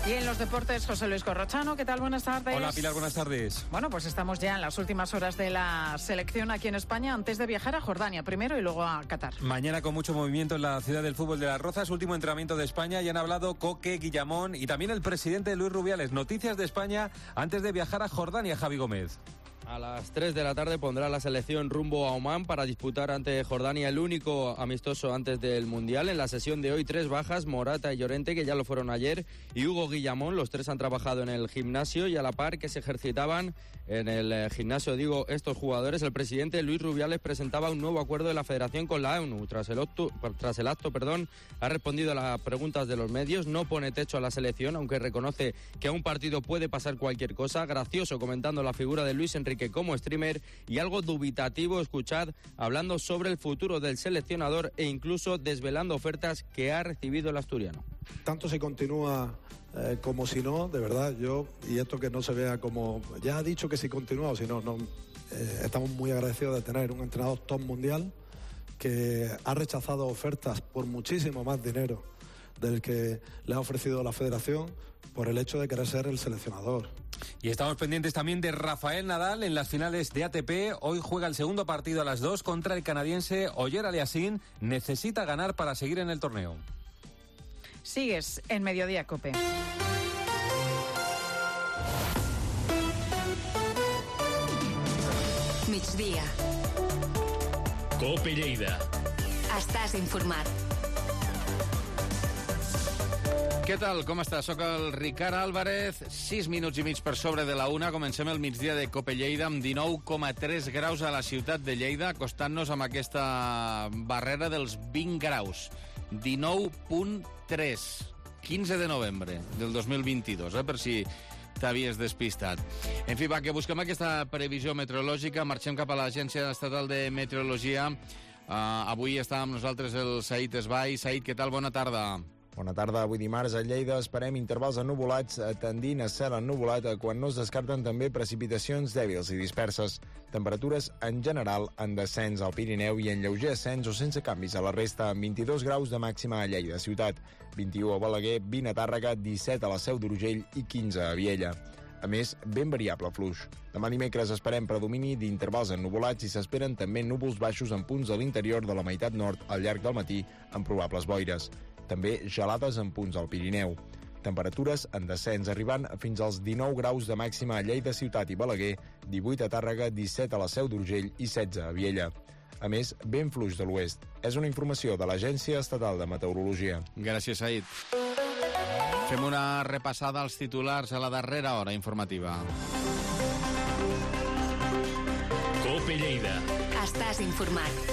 Y en los deportes, José Luis Corrochano, ¿qué tal? Buenas tardes. Hola, Pilar, buenas tardes. Bueno, pues estamos ya en las últimas horas de la selección aquí en España, antes de viajar a Jordania primero y luego a Qatar. Mañana con mucho movimiento en la ciudad del fútbol de Las Rozas, último entrenamiento de España, y han hablado Coque, Guillamón y también el presidente Luis Rubiales. Noticias de España antes de viajar a Jordania, Javi Gómez. A las 3 de la tarde pondrá la selección rumbo a Omán para disputar ante Jordania el único amistoso antes del Mundial. En la sesión de hoy 3 bajas, Morata y Llorente, que ya lo fueron ayer, y Hugo Guillamón. Los 3 han trabajado en el gimnasio y a la par que se ejercitaban en el gimnasio, estos jugadores, el presidente Luis Rubiales presentaba un nuevo acuerdo de la Federación con la ONU. Tras el acto, ha respondido a las preguntas de los medios, no pone techo a la selección, aunque reconoce que a un partido puede pasar cualquier cosa. Gracioso comentando la figura de Luis Enrique como streamer, y algo dubitativo, escuchad, hablando sobre el futuro del seleccionador e incluso desvelando ofertas que ha recibido el asturiano. Tanto se continúa como si no, de verdad, y esto que no se vea como, ya ha dicho que si continúa o si no, estamos muy agradecidos de tener un entrenador top mundial que ha rechazado ofertas por muchísimo más dinero del que le ha ofrecido la Federación por el hecho de querer ser el seleccionador. Y estamos pendientes también de Rafael Nadal en las finales de ATP. Hoy juega el segundo partido a las 2 contra el canadiense Oyer Aliassime. Necesita ganar para seguir en el torneo. Sigues en Mediodía, COPE. Migdia. COPE Lleida. Estàs informat. Què tal? Com estàs? Soc el Ricard Álvarez, 6 minuts i mig per sobre de la 1. Comencem el migdia de COPE Lleida amb 19,3 graus a la ciutat de Lleida, acostant-nos amb aquesta barrera dels 20 graus. 19,3. 15 de novembre del 2022, per si t'havies despistat. En fi, va, que busquem aquesta previsió meteorològica. Marxem cap a l'Agència Estatal de Meteorologia. Avui està amb nosaltres el Said Esbai. Said, què tal? Bona tarda. Bona tarda. Avui dimarts a Lleida esperem intervals ennuvolats tendint a cel ennuvolat quan no es descarten també precipitacions dèbils i disperses. Temperatures en general en descens al Pirineu i en lleuger ascens o sense canvis a la resta, amb 22 graus de màxima a Lleida ciutat, 21 a Balaguer, 20 a Tàrrega, 17 a la Seu d'Urgell i 15 a Viella. A més, ben variable fluix. Demà dimecres esperem predomini d'intervals ennuvolats i s'esperen també núvols baixos en punts de l'interior de la meitat nord al llarg del matí amb probables boires. També gelades en punts al Pirineu. Temperatures en descens, arribant fins als 19 graus de màxima a Lleida ciutat i Balaguer, 18 a Tàrrega, 17 a la Seu d'Urgell i 16 a Viella. A més, vent fluix de l'oest. És una informació de l'Agència Estatal de Meteorologia. Gràcies, Said. Fem una repassada als titulars a la darrera hora informativa. COPE Lleida. Estàs informat.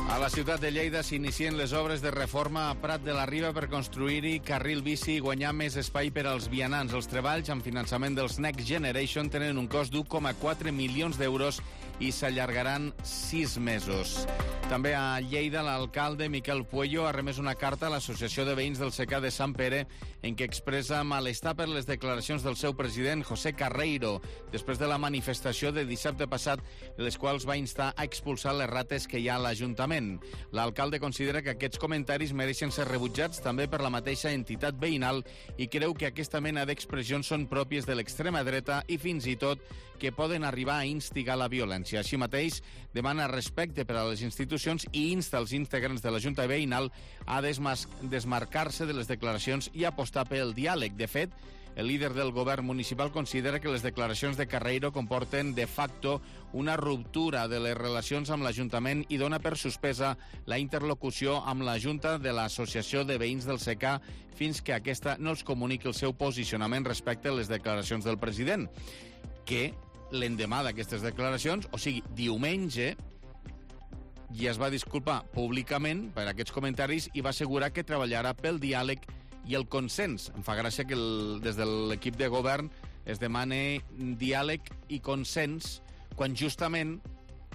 A la ciutat de Lleida s'inicien les obres de reforma a Prat de la Riba per construir-hi carril bici i guanyar més espai per als vianants. Els treballs amb finançament dels Next Generation tenen un cost d'1,4 milions d'euros i s'allargaran 6 mesos. També a Lleida, l'alcalde Miquel Puello ha remès una carta a l'Associació de Veïns del Secà de Sant Pere en què expressa malestar per les declaracions del seu president, José Carreiro, després de la manifestació de dissabte passat, les quals va instar a expulsar les rates que hi ha a l'Ajuntament. L'alcalde considera que aquests comentaris mereixen ser rebutjats també per la mateixa entitat veïnal i creu que aquesta mena d'expressions són pròpies de l'extrema dreta i fins i tot que poden arribar a instigar la violència. Així mateix, demana respecte per a les institucions i insta els integrants de la Junta Veïnal a desmarcar-se de les declaracions i apostar pel diàleg. De fet, El líder del govern municipal considera que les declaracions de Carreiro comporten de facto una ruptura de les relacions amb l'Ajuntament i dona per suspesa la interlocució amb la Junta de l'Associació de Veïns del SECA fins que aquesta no els comuniqui el seu posicionament respecte a les declaracions del president, que l'endemà d'aquestes declaracions, o sigui, diumenge, i es va disculpar públicament per aquests comentaris i va assegurar que treballarà pel diàleg i el consens. Em fa gràcia que des de l'equip de govern es demane diàleg i consens quan justament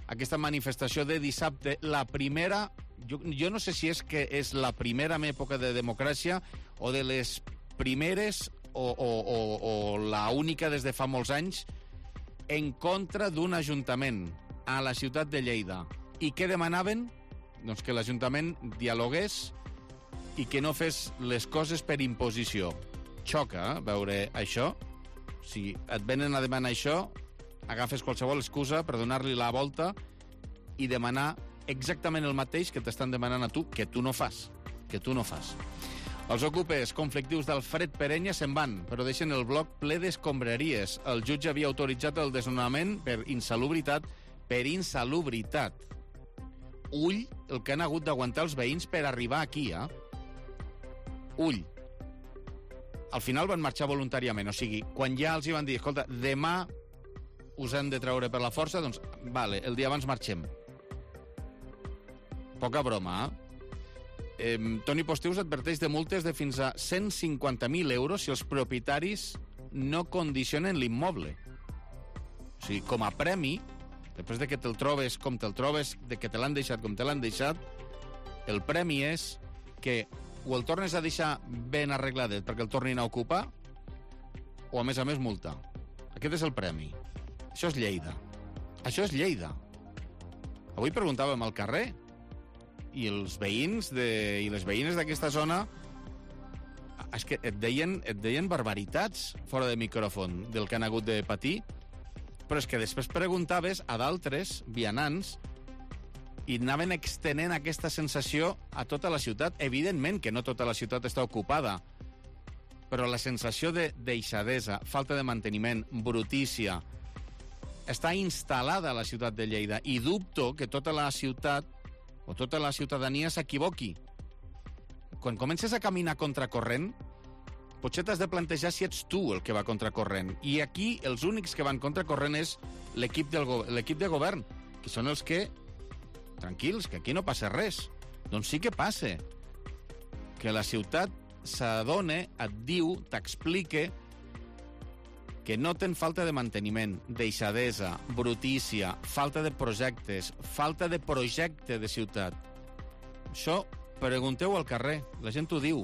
aquesta manifestació de dissabte, la primera, jo no sé si és que és la primera en època de democràcia o de les primeres o la única des de fa molts anys en contra d'un ajuntament a la ciutat de Lleida. I què demanaven? Doncs que l'Ajuntament dialogués i que no fes les coses per imposició. Xoca, veure això. Si et venen a demanar això, agafes qualsevol excusa per donar-li la volta i demanar exactament el mateix que t'estan demanant a tu, que tu no fas. Els ocupes conflictius d'Alfred Perenya se'n van, però deixen el bloc ple d'escombraries. El jutge havia autoritzat el desnonament per insalubritat. Ull el que han hagut d'aguantar els veïns per arribar aquí, Ull. Al final van marxar voluntàriament, o sigui, quan ja els hi van dir, escolta, demà us han de treure per la força, doncs, vale, el dia abans marxem. Poca broma, Toni Postius adverteix de multes de fins a 150.000 euros si els propietaris no condicionen l'immoble. O sigui, com a premi, després de que te'l trobes com te'l trobes, de que te l'han deixat com te l'han deixat, el premi és que o el tornes a deixar ben arregladet perquè el tornin a ocupar, o a més multa. Aquest és el premi. Això és Lleida. Avui preguntàvem al carrer i els veïns i les veïnes d'aquesta zona és que et deien barbaritats fora de micròfon del que han hagut de patir, però és que després preguntaves a d'altres vianants i anaven extenent aquesta sensació a tota la ciutat. Evidentment que no tota la ciutat està ocupada, però la sensació de deixadesa, falta de manteniment, brutícia, està instal·lada a la ciutat de Lleida i dubto que tota la ciutat o tota la ciutadania s'equivoqui. Quan comences a caminar contracorrent, potser t'has de plantejar si ets tu el que va contracorrent. I aquí els únics que van contracorrent és l'equip de govern, que són els que, tranquils, que aquí no passa res. Doncs sí que passa. Que la ciutat s'adona, et diu, t'explica que noten falta de manteniment, deixadesa, brutícia, falta de projectes, falta de projecte de ciutat. Això pregunteu al carrer, la gent ho diu.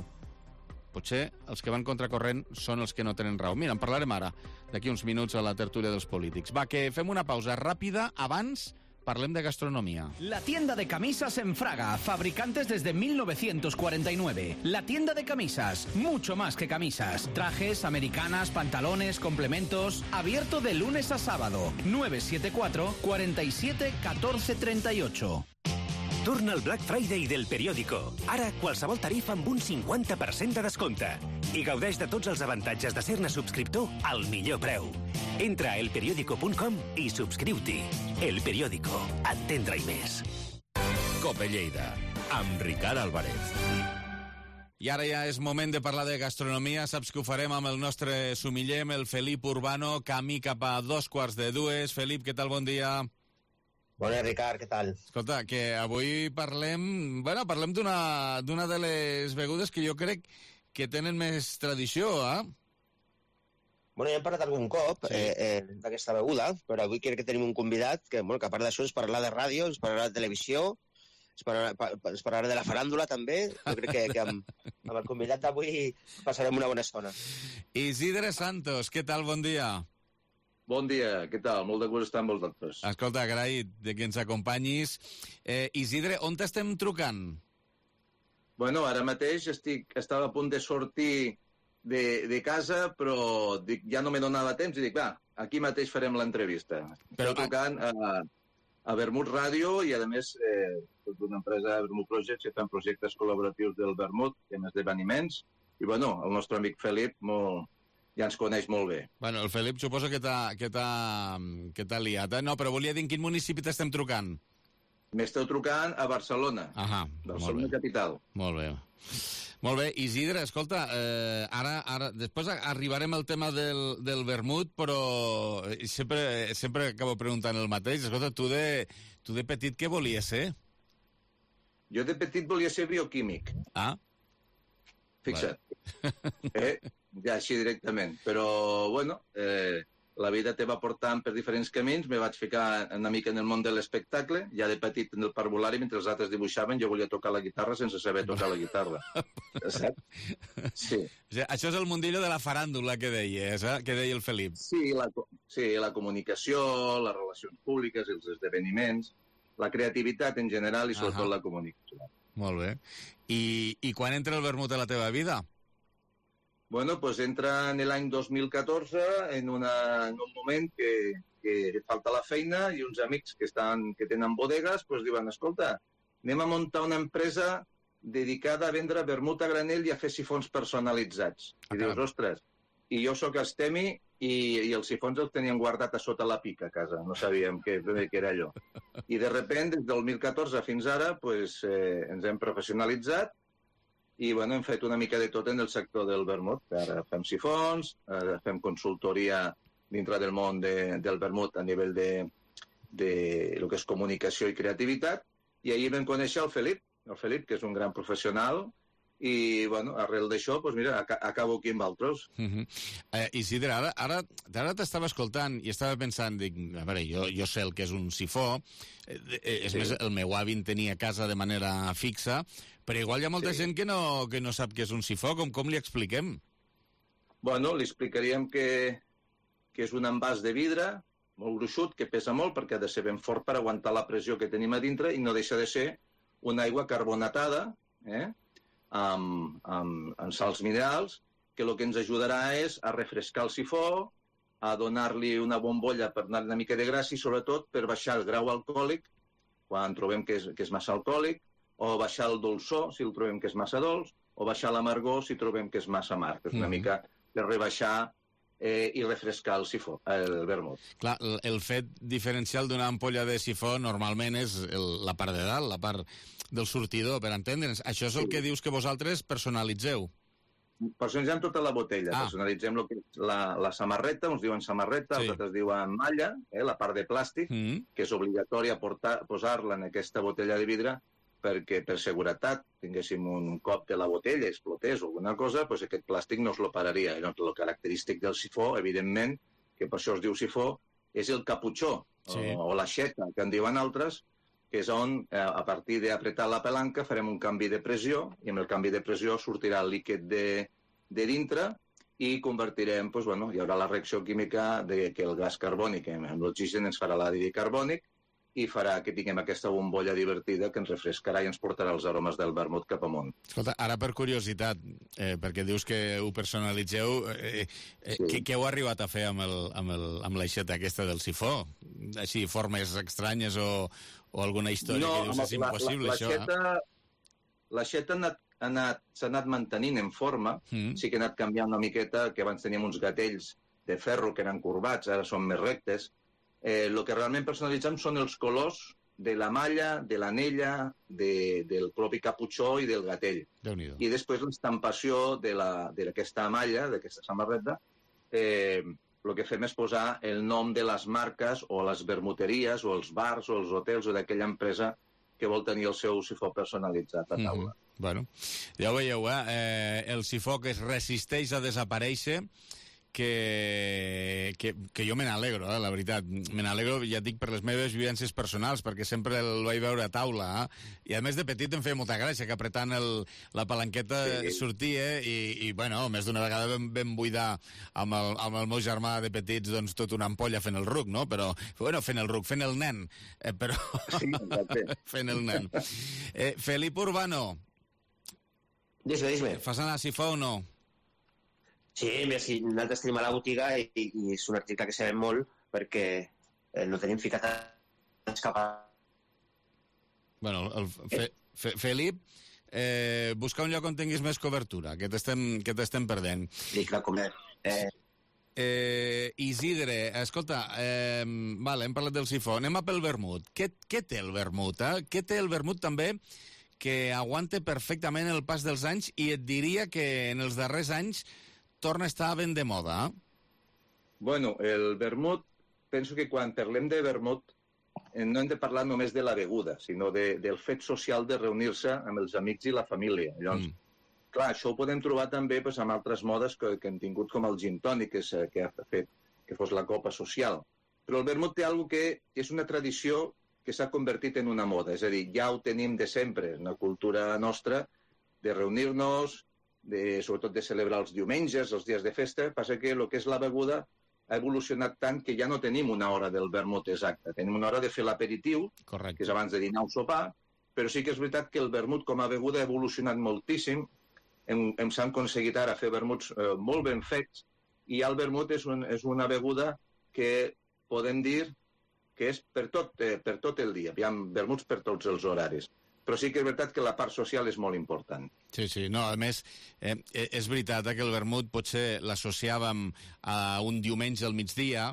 Potser els que van contracorrent són els que no tenen raó. Mira, en parlarem ara, d'aquí uns minuts a la tertúlia dels polítics. Va, que fem una pausa ràpida. Abans, parlem de gastronomía. La tienda de camisas en Fraga, fabricantes desde 1949. La tienda de camisas, mucho más que camisas. Trajes, americanas, pantalones, complementos. Abierto de lunes a sábado. 974 47 14 38. Torna el Black Friday del periòdico. Ara, qualsevol tarifa amb un 50% de descompte. I gaudeix de tots els avantatges de ser-ne subscriptor al millor preu. Entra a elperiódico.com i subscriu-t'hi. El Periódico. Entendre-hi més. Cope Lleida, amb Ricard Álvarez. I ara ja és moment de parlar de gastronomia. Saps que ho farem amb el nostre sumiller, el Felip Urbano, camí cap a 2:45. Felip, què tal? Bon dia. Bon dia, Ricard, què tal? Escolta, que avui parlem d'una de les begudes que jo crec que tenen més tradició, Bueno, ja hem parlat algun cop d'aquesta beguda, però avui crec que tenim un convidat que a part d'això ens parlarà de ràdio, ens parlarà de televisió, ens parlarà de la faràndula també. Jo crec que amb el convidat d'avui passarem una bona estona. Isidre Santos, què tal? Bon dia. Bon dia, què tal? Molt de gust estar amb vosaltres. Escolta, agraït de que ens acompanyis. Isidre, on t'estem trucant? Bueno, ara mateix estava a punt de sortir de casa, però ja no me donava temps i dic, va, aquí mateix farem l'entrevista. Estic trucant a Vermut Ràdio i, a més, d'una empresa, Vermut Projects, que fan projectes col·laboratius del Vermut, en esdeveniments. I, bueno, el nostre amic Felip ja ens coneix molt bé. Bueno, el Felip suposo que t'ha liat, eh? No, però volia dir en quin municipi t'estem trucant. M'esteu trucant a Barcelona. Barcelona capital. Molt bé. Molt bé, Isidre, escolta, ara després arribarem al tema del vermut, però sempre acabo preguntant el mateix. Escolta, tu de petit què volies ser? Jo de petit volia ser bioquímic. Ah. Fixa't. Ja així directament. Però, bueno, la vida te va portant per diferents camins, me vaig ficar una mica en el món de l'espectacle, ja de petit en el parvulari, mentre els altres dibuixaven, jo volia tocar la guitarra sense saber tocar la guitarra. Saps? Sí. Això és el mundillo de la faràndula que deies, que deia el Felip. Sí, la comunicació, les relacions públiques, els esdeveniments, la creativitat en general i sobretot la comunicació. Molt bé. I quan entra el vermut a la teva vida? Bueno, pues entra en l'any 2014 en un moment que falta la feina i uns amics que tenen bodegues pues diuen, escolta, anem a muntar una empresa dedicada a vendre vermut a granel i a fer sifons personalitzats. I dius, ostres, i jo sóc estemi i els sifons els tenien guardat a sota la pica a casa, no sabíem què era allò. I de repente, des del 2014 fins ara, pues, ens hem professionalitzat i bueno, hem fet una mica de tot en el sector del vermut. Ara fem sifons, fem consultoria dintre del món del vermut a nivell de lo que és comunicació i creativitat, i ahir vam conèixer el Felip, que és un gran professional, i, bueno, arrel d'això, doncs mira, acabo aquí amb altres. Isidre, ara t'estava escoltant i estava pensant, dic, a veure, jo sé el que és un sifó, és més, el meu avi en tenia a casa de manera fixa, però igual hi ha molta gent que no sap què és un sifó, com li expliquem? Bueno, li explicaríem que és un envàs de vidre, molt gruixut, que pesa molt, perquè ha de ser ben fort per aguantar la pressió que tenim a dintre, i no deixa de ser una aigua carbonatada, amb sals minerals, que el que ens ajudarà és a refrescar el sifó, a donar-li una bombolla per donar una mica de gràcia i sobretot per baixar el grau alcohòlic quan trobem que és massa alcohòlic, o baixar el dolçor si el trobem que és massa dolç, o baixar l'amargor si trobem que és massa amarg. És una mica per rebaixar i refrescar el sifó, el vermut. Clar, el fet diferencial d'una ampolla de sifó normalment és la part de dalt, la part del sortidor, per entendre'ns. Això és el que dius que vosaltres personalitzeu. Personalitzem tota la botella. Personalitzem lo que és la samarreta, uns diuen samarreta, els altres diuen malla, la part de plàstic, que és obligatòria posar-la en aquesta botella de vidre perquè per seguretat tinguéssim un cop de la botella, explotés o alguna cosa, doncs aquest plàstic no es lo pararia. El característic del sifó, evidentment, que per això es diu sifó, és el caputxó, o l'aixeta, que en diuen altres, que és on, a partir d'apretar la palanca, farem un canvi de pressió, i amb el canvi de pressió sortirà el líquid de dintre i convertirem, doncs, bueno, hi haurà la reacció química de que el gas carbònic amb l'oxigen ens farà l'anhídrid carbònic i farà que tinguem aquesta bombolla divertida que ens refrescarà i ens portarà els aromes del vermut cap amunt. Escolta, ara per curiositat, perquè dius que ho personalitzeu, què heu arribat a fer amb l'aixeta aquesta del sifó? Així, formes estranyes o alguna història que dius és impossible, això? L'aixeta s'ha anat mantenint en forma, sí que ha anat canviant una miqueta, que abans teníem uns gatells de ferro que eren corbats, ara són més rectes. El que realment personalitzem són els colors de la malla, de l'anella, del propi caputxó i del gatell. I després l'estampació d'aquesta malla, d'aquesta samarreta, el que fem és posar el nom de les marques o les vermuteries o els bars o els hotels o d'aquella empresa que vol tenir el seu sifó personalitzat a taula. Bueno, ja ho veieu, el sifó que es resisteix a desaparèixer, que jo me n'alegro, la veritat. Me n'alegro, ja et dic, per les meves vivències personals, perquè sempre el vaig veure a taula. I a més de petit em feia molta gràcia que apretant la palanqueta sortia i bueno, més d'una vegada vam buidar amb el meu germà de petits doncs tota una ampolla fent el ruc, no? Però, bueno, fent el ruc, fent el nen. Però fent el nen. Felip Urbano. Dime. Fas anar a sifó o no? Sí, mira, si nosaltres tenim a la botiga i és un article que sabem molt perquè no tenim ficat a escapar. Bueno, Felip, busca un lloc on tinguis més cobertura, que t'estem perdent. Sí, clar, com Isidre, escolta, vale, hem parlat del sifó, anem a pel vermut. Què té el vermut? Què té el vermut també que aguante perfectament el pas dels anys i et diria que en els darrers anys torna a estar ben de moda? Bueno, el vermut, penso que quan parlem de vermut no hem de parlar només de la beguda, sinó del fet social de reunir-se amb els amics i la família. Llavors, clar, això ho podem trobar també amb altres modes que hem tingut, com el gin tònic, que ha fet que fos la copa social. Però el vermut té alguna cosa que és una tradició que s'ha convertit en una moda. És a dir, ja ho tenim de sempre, una cultura nostra de reunir-nos, sobretot de celebrar els diumenges, els dies de festa. Passa que el que és la beguda ha evolucionat tant que ja no tenim una hora del vermut exacta. Tenim una hora de fer l'aperitiu, que és abans de dinar o sopar, però sí que és veritat que el vermut com a beguda ha evolucionat moltíssim. S'han aconseguit ara fer vermuts molt ben fets, i el vermut és una beguda que podem dir que és per tot el dia. Hi ha vermuts per tots els horaris. Però sí que és veritat que la part social és molt important. Sí. No, a més, és veritat que el vermut potser l'associàvem a un diumenge al migdia,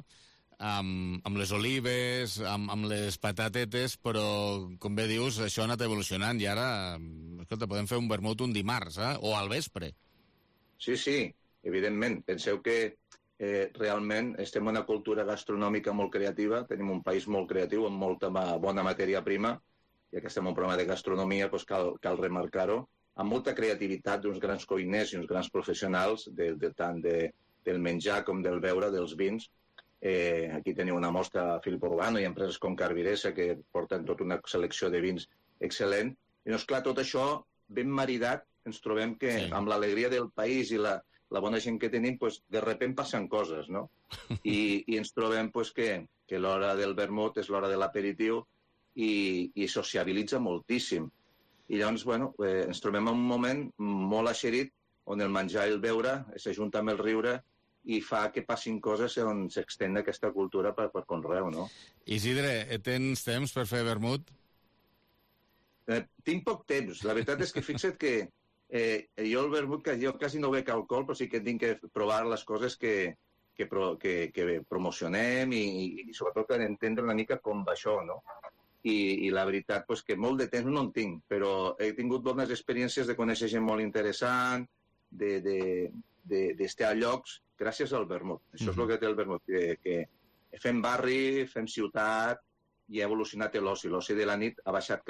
amb les olives, amb les patatetes, però, com bé dius, això ha anat evolucionant i ara, escolta, podem fer un vermut un dimarts, o al vespre. Sí, evidentment. Penseu que realment estem en una cultura gastronòmica molt creativa, tenim un país molt creatiu, amb molta bona matèria prima, ja que estem en un programa de gastronomia, doncs cal remarcar-ho, amb molta creativitat d'uns grans cuiners i uns grans professionals, tant del menjar com del beure, dels vins. Aquí teniu una mostra a Filip Urbano i empreses com Carviresa que porten tota una selecció de vins excel·lent. I doncs, clar, tot això ben maridat, ens trobem que amb l'alegria del país i la bona gent que tenim, de sobte passen coses, no? I ens trobem que l'hora del vermut és l'hora de l'aperitiu i sociabilitza moltíssim. I llavors, ens trobem en un moment molt eixerit on el menjar i el beure s'ajunta amb el riure i fa que passin coses on s'extén aquesta cultura per conreu, no? Isidre, tens temps per fer vermut? Tinc poc temps. La veritat és que fixa't que jo el vermut, jo quasi no bec alcohol, però sí que tinc que provar les coses que promocionem i sobretot per entendre una mica com va això, no? I la veritat, que molt de temps no en tinc, però he tingut bones experiències de conèixer gent molt interessant, d'estar a llocs gràcies al vermut. Això és el que té el vermut, que fem barri, fem ciutat, i ha evolucionat l'oci. L'oci de la nit ha baixat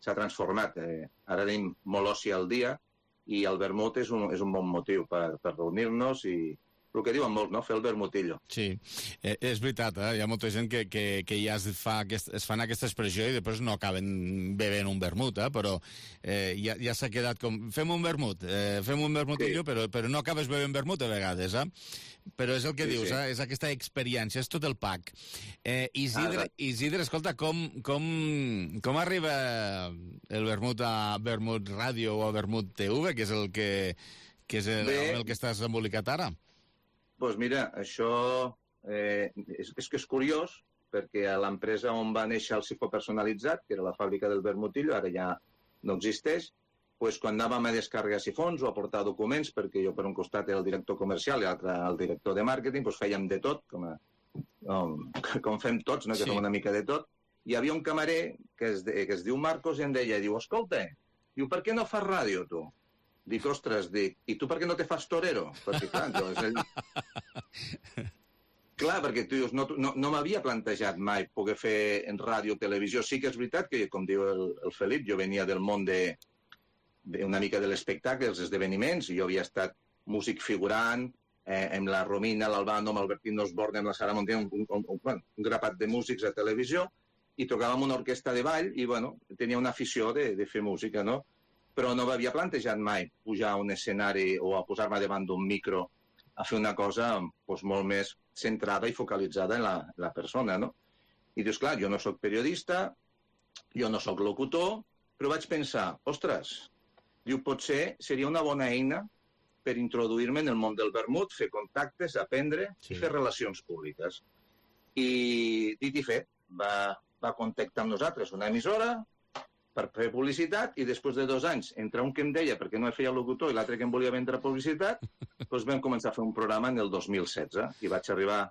s'ha transformat. Ara tenim molt oci al dia i el vermut és un bon motiu per reunir-nos i el que diuen molt, no? Fer el vermutillo. Sí, és veritat, hi ha molta gent que ja es fan aquesta expressió i després no acaben bevent un vermut, però ja s'ha quedat com... Fem un vermutillo, però no acabes bevent vermut a vegades, Però és el que dius, és aquesta experiència, és tot el pack. Isidre, escolta, com arriba el vermut a Vermut Ràdio o a Vermut TV, que és el que estàs embolicat ara? Doncs mira, això és que és curiós, perquè a l'empresa on va néixer el sifó personalitzat, que era la fàbrica del vermutillo, ara ja no existeix, doncs quan anàvem a descarregar sifons o a portar documents, perquè jo per un costat era el director comercial i l'altre el director de màrqueting, doncs fèiem de tot, com fem tots, no? Que fem una mica de tot. Hi havia un camarer que es diu Marcos i em deia, escolta, per què no fas ràdio, tu? Dic, ostres, i tu per què no te fas torero? Perquè, clar, perquè tu dius, no m'havia plantejat mai poder fer en ràdio o televisió. Sí que és veritat que, com diu el Felip, jo venia del món una mica de l'espectacle, dels esdeveniments, i jo havia estat músic figurant, amb la Romina, l'Albano, amb Albertino Osborne, amb la Sara Montiel, un grapat de músics a televisió, i tocàvem una orquestra de ball, i, tenia una afició de fer música, no? Però no m'havia plantejat mai pujar a un escenari o a posar-me davant d'un micro a fer una cosa molt més centrada i focalitzada en la persona, no? I dius, clar, jo no sóc periodista, jo no sóc locutor, però vaig pensar, ostres, potser seria una bona eina per introduir-me en el món del vermut, fer contactes, aprendre i fer relacions públiques. I dit i fet, va contactar amb nosaltres una emissora, per fer publicitat, i després de 2 anys, entre un que em deia perquè no feia locutor i l'altre que em volia vendre publicitat, doncs vam començar a fer un programa en el 2016 i vaig arribar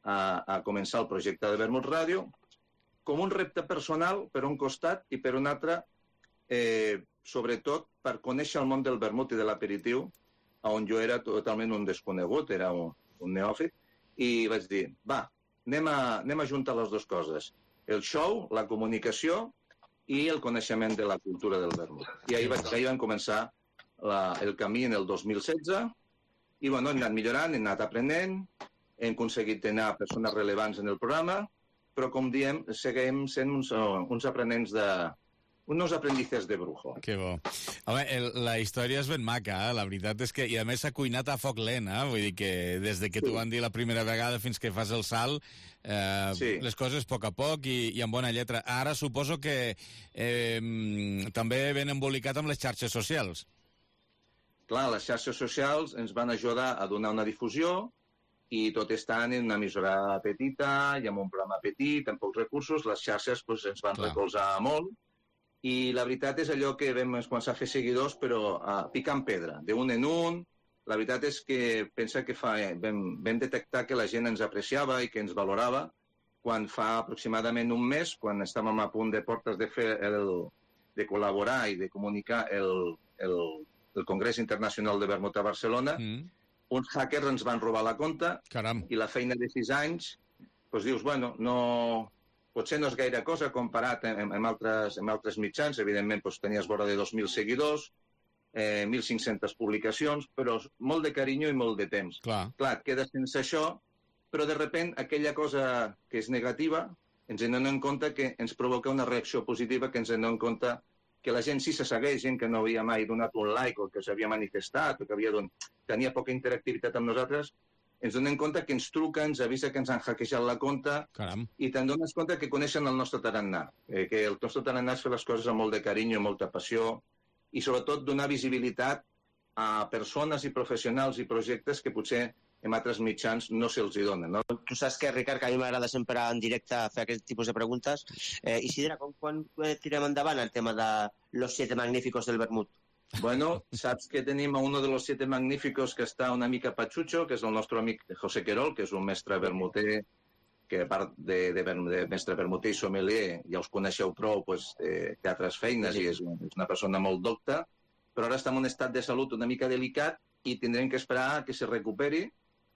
a començar el projecte de Vermut Ràdio com un repte personal per un costat i per un altre, sobretot per conèixer el món del vermut i de l'aperitiu, on jo era totalment un desconegut, era un neòfit, i vaig dir, va, anem a juntar les dues coses, el show, la comunicació i el coneixement de la cultura del vermut. I ahir vam començar el camí en el 2016, i bueno, hem anat millorant, hem anat aprenent, hem aconseguit tenir persones relevants en el programa, però, com diem, seguim sent uns aprenents unos aprendices de brujo. Que bo. Home, la història és ben maca, la veritat és que... I a més s'ha cuinat a foc lent, vull dir que des de que t'ho van dir la primera vegada fins que fas el salt, les coses a poc i amb bona lletra. Ara suposo que també ben embolicat amb les xarxes socials. Clar, les xarxes socials ens van ajudar a donar una difusió, i tot estant en una emissora petita i amb un programa petit, amb pocs recursos, les xarxes ens van recolzar molt, i la veritat és allò que vam començar a fer seguidors, però picant pedra, d'un en un. La veritat és que pensa que vam detectar que la gent ens apreciava i que ens valorava quan fa aproximadament un mes, quan estàvem a punt de portes de col·laborar i de comunicar el Congrés Internacional de Vermut a Barcelona, uns hackers ens van robar la compte. Caram. I la feina de 6 anys, doncs dius, bueno, potser no és gaire cosa comparat amb altres mitjans. Evidentment, tenies vora de 2.000 seguidors, 1.500 publicacions, però molt de carinyo i molt de temps. Clar, et quedes sense això, però de sobte aquella cosa que és negativa ens anem en compte que ens provoca una reacció positiva, que ens anem en compte que la gent sí se segueix, gent que no havia mai donat un like o que s'havia manifestat o que tenia poca interactivitat amb nosaltres, ens donem compte que ens truca, ens avisa que ens han hackejat la compte. Caram. I te'n dones compte que coneixen el nostre tarannà, que el nostre tarannà és fer les coses amb molt de carinyo, molta passió i sobretot donar visibilitat a persones i professionals i projectes que potser en altres mitjans no se'ls hi donen. No? Tu saps que, Ricard, que a mi m'agrada sempre en directe fer aquest tipus de preguntes. Isidre, quan tirem endavant el tema de los 7 magníficos del vermut? Bueno, saps que tenim a uno de los 7 magníficos que està una mica patxutxo, que és el nostre amic José Querol, que és un mestre vermuter, que a part de mestre vermuter i sommelier, ja us coneixeu prou, té altres feines i és una persona molt docta, però ara està en un estat de salut una mica delicat i tindrem que esperar que se recuperi,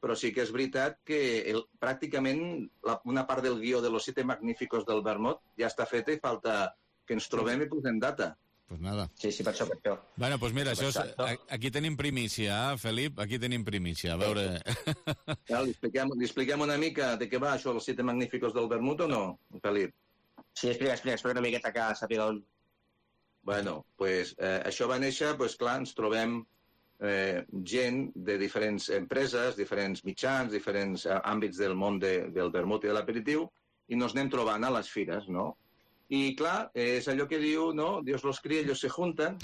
però sí que és veritat que pràcticament una part del guió de los 7 magníficos del vermut ja està feta i falta que ens trobem i posem data. Pues nada. Sí, per això. Bueno, pues mira, aquí tenim primícia, Felip, aquí tenim primícia. A veure... Li expliquem una mica de què va això, els 7 magníficos del vermut, o no, Felip? Sí, explica una miqueta que sàpiga on. Bueno, pues això va néixer, pues clar, ens trobem gent de diferents empreses, diferents mitjans, diferents àmbits del món del vermut i de l'aperitiu, i nos anem trobant a les fires, no? I, clar, és allò que diu, no? Dios los cría, ellos se juntan,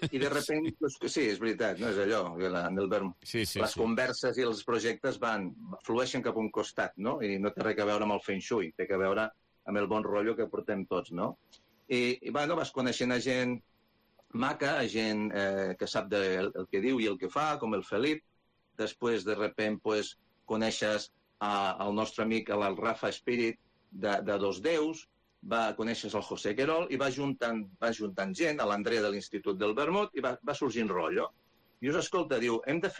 i de repente, pues, sí, és veritat, no és allò, en el vermut. Les converses i els projectes flueixen cap a un costat, no? I no té res a veure amb el feng shui, té a veure amb el bon rotllo que portem tots, no? I bueno, vas coneixent a gent maca, a gent que sap el que diu i el que fa, com el Felip. Després, de repente, pues, coneixes el nostre amic, el Rafa Spirit, de Dos Déus, coneixes el José Querol i va juntant gent, a l'Andrea de l'Institut del Vermut, i va sorgint rotllo. I us escolta, diu, hem de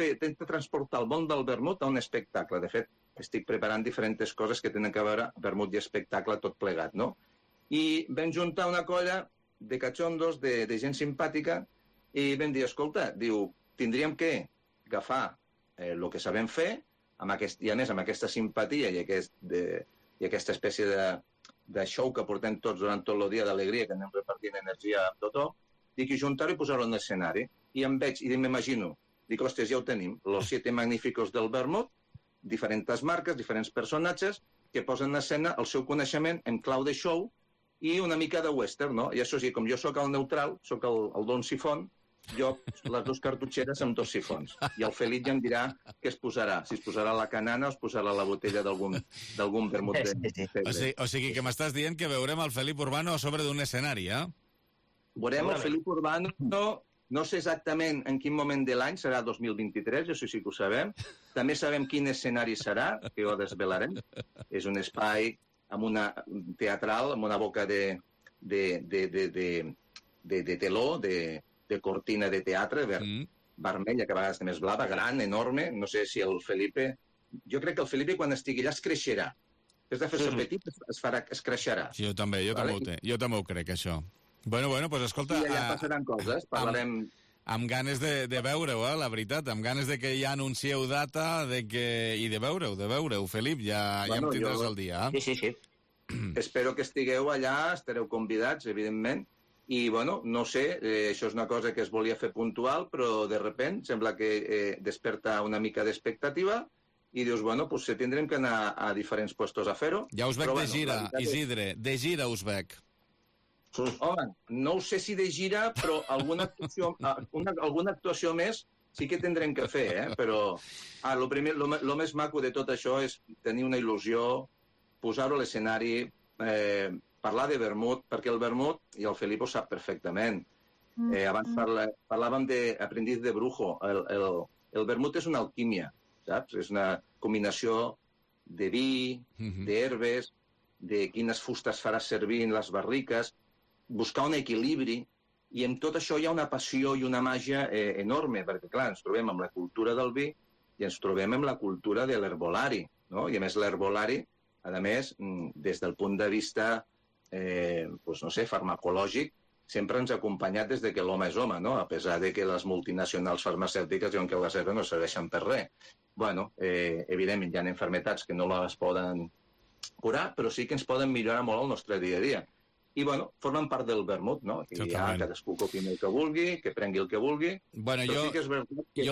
transportar el món del vermut a un espectacle. De fet, estic preparant diferents coses que tenen a veure vermut i espectacle tot plegat, no? I vam juntar una colla de cachondos, de gent simpàtica, i vam dir, escolta, diu, tindríem que agafar el que sabem fer, i a més amb aquesta simpatia i aquesta espècie de show que portem tots durant tot el dia d'alegria, que anem repartint energia a tothom, dic, i juntar-ho i posar-ho en l'escenari. I em veig, i m'imagino, dic, ostres, ja ho tenim, los 7 magníficos del vermut, diferents marques, diferents personatges, que posen en escena el seu coneixement en clau de show i una mica de western, no? I això sí, com jo sóc el neutral, sóc el Don Sifón, jo les 2 cartutxeres amb 2 sifons. I el Felip ja em dirà què es posarà. Si es posarà la canana o es posarà la botella d'algun vermut. O sigui que m'estàs dient que veurem el Felip Urbano a sobre d'un escenari, eh? Veurem el Felip Urbano, no sé exactament en quin moment de l'any, serà 2023, això sí que ho sabem. També sabem quin escenari serà, que ho desvelarem. És un espai amb una teatral, amb una boca de teló, de cortina de teatre, vermella, que a vegades també és blava, gran, enorme. No sé si el Felipe... Jo crec que el Felipe, quan estigui allà, es creixerà. Has de fer-se petit, es creixerà. Sí, jo també ho crec, això. Bueno, pues escolta... I allà passaran coses, parlarem... Amb ganes de veure-ho, la veritat, amb ganes de que ja anuncieu data i de veure-ho, Felip, ja em tindràs al dia. Sí. Espero que estigueu allà, estareu convidats, evidentment, i, no sé, això és una cosa que es volia fer puntual, però de repent sembla que desperta una mica d'expectativa i dius, pues tindrem que anar a diferents puestos a fer-ho. Ja us veig de gira, Isidre, de gira us veig. Home, no ho sé si de gira, però alguna actuació més sí que tindrem que fer, però el més maco de tot això és tenir una il·lusió, posar-ho a l'escenari, parlar de vermut, perquè el vermut, i el Felip ho sap perfectament, abans parlàvem d'aprendiz de brujo, el vermut és una alquímia, saps? És una combinació de vi, d'herbes, de quines fustes faràs servir en les barriques, buscar un equilibri, i en tot això hi ha una passió i una màgia enorme, perquè, clar, ens trobem amb la cultura del vi i ens trobem amb la cultura de l'herbolari, no? I, a més, l'herbolari, a més, des del punt de vista, farmacològic, sempre ens ha acompanyat des que l'home és home, no? A pesar de que les multinacionals farmacèutiques diuen que les herbes no serveixen per res. Evidentment, hi ha malalties que no les poden curar, però sí que ens poden millorar molt el nostre dia a dia. I, formen part del vermut, no? I ja cadascú que opini el que vulgui, que prengui el que vulgui. Jo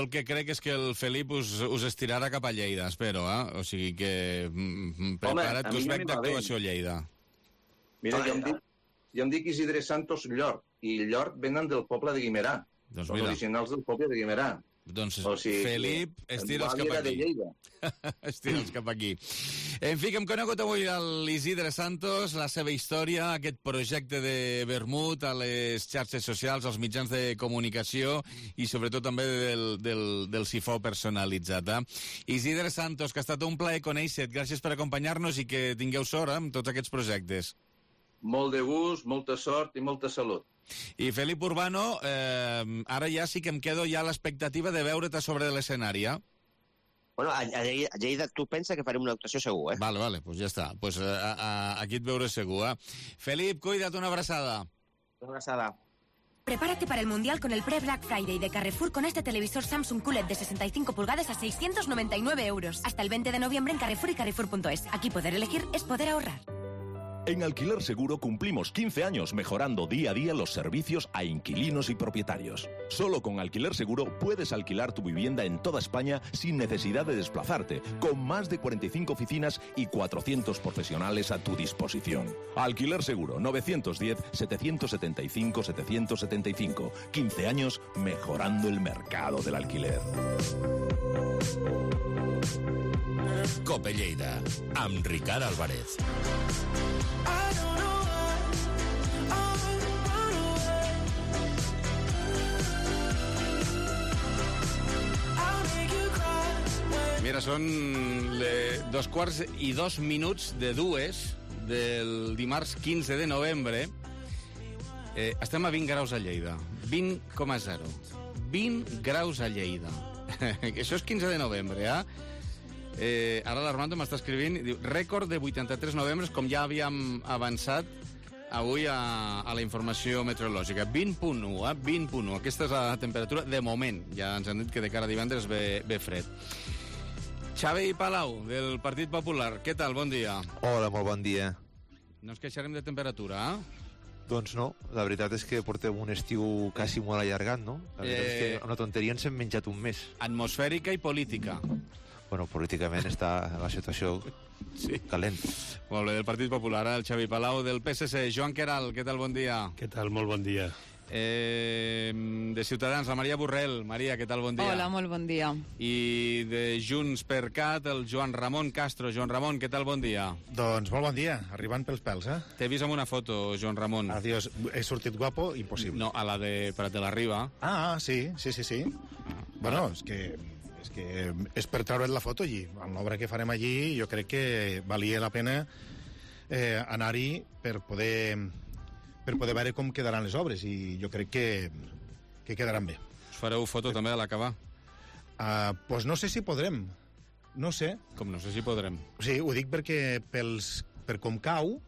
el que crec és que el Felip us estirarà cap a Lleida, espero, O sigui que prepara't, que us veig d'actuació a Lleida. Mira, jo em dic Isidre Santos Llort, i Llort venen del poble de Guimerà. Són originals del poble de Guimerà. Doncs, Felip, estira'ls cap aquí. Estira'ls cap aquí. En fi, que hem conegut avui l'Isidre Santos, la seva història, aquest projecte de vermut a les xarxes socials, als mitjans de comunicació i sobretot també del sifó personalitzat. Isidre Santos, que ha estat un plaer conèixer-te. Gràcies per acompanyar-nos i que tingueu sort amb tots aquests projectes. Molt de gust, molta sort i molta salut. I Felip Urbano, ara ja sí que em quedo ja a l'expectativa de veure't a sobre de l'escenari, A Lleida tu pensa que farem una actuació segur, Vale, pues ja està. Pues aquí et veuré segur, Felip, cuida't, una abraçada. Una abraçada. Prepárate para el Mundial con el pre-Black Friday de Carrefour con este televisor Samsung QLED de 65 pulgadas a 699 euros. Hasta el 20 de noviembre en Carrefour y Carrefour.es. Aquí poder elegir es poder ahorrar. En Alquiler Seguro cumplimos 15 años mejorando día a día los servicios a inquilinos y propietarios. Solo con Alquiler Seguro puedes alquilar tu vivienda en toda España sin necesidad de desplazarte, con más de 45 oficinas y 400 profesionales a tu disposición. Alquiler Seguro, 910-775-775. 15 años mejorando el mercado del alquiler. Cope Lleida, amb Ricard Álvarez. Mira, són 2:02 del dimarts 15 de novembre. Estem a 20 graus a Lleida. 20,0. 20 graus a Lleida. Això és 15 de novembre, Ara l'Armando m'està escrivint, diu, rècord de 83 novembres, com ja havíem avançat avui a la informació meteorològica. 20,1, 20,1. Aquesta és la temperatura de moment. Ja ens han dit que de cara a divendres ve fred. Xavi Palau, del Partit Popular. Què tal? Bon dia. Hola, molt bon dia. No ens queixarem de temperatura, Doncs no, la veritat és que portem un estiu quasi molt allargat, no? La veritat és que una tonteria ens hem menjat un mes. Atmosfèrica i política. Bueno, políticament està la situació calent. Molt bé, del Partit Popular, el Xavi Palau, del PSC. Joan Queralt, què tal? Bon dia. Què tal? Molt bon dia. De Ciutadans, la Maria Borrell. Maria, què tal? Bon dia. Hola, molt bon dia. I de Junts per Cat, el Joan Ramon Castro. Joan Ramon, què tal? Bon dia. Doncs molt bon dia, arribant pels pèls, eh? T'he vist amb una foto, Joan Ramon. Adiós, he sortit guapo? Impossible. No, a la de Prat de la Riba. Sí. Bueno, és que és per treure't la foto allí. En l'obra que farem allí jo crec que valia la pena anar-hi per poder veure com quedaran les obres, i jo crec que quedaran bé. Us fareu foto també a l'acabar? Pues no sé si podrem. No sé. Com no sé si podrem? Sí, ho dic perquè per com cau,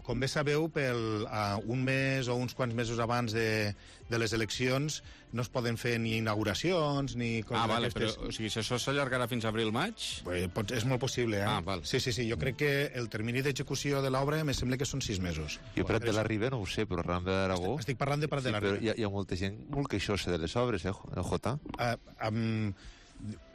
com bé sabeu, un mes o uns quants mesos abans de les eleccions no es poden fer ni inauguracions ni coses vale, d'aquestes. Però o sigui, si això s'allargarà fins a abril-maig? És molt possible, eh? Val. Sí, jo crec que el termini d'execució de l'obra me sembla que són 6 mesos. Jo Prat de la Riba no ho sé, però Ram d'Aragó... Estic parlant de Prat de la Riba. Però hi ha molta gent molt queixosa de les obres, Jota?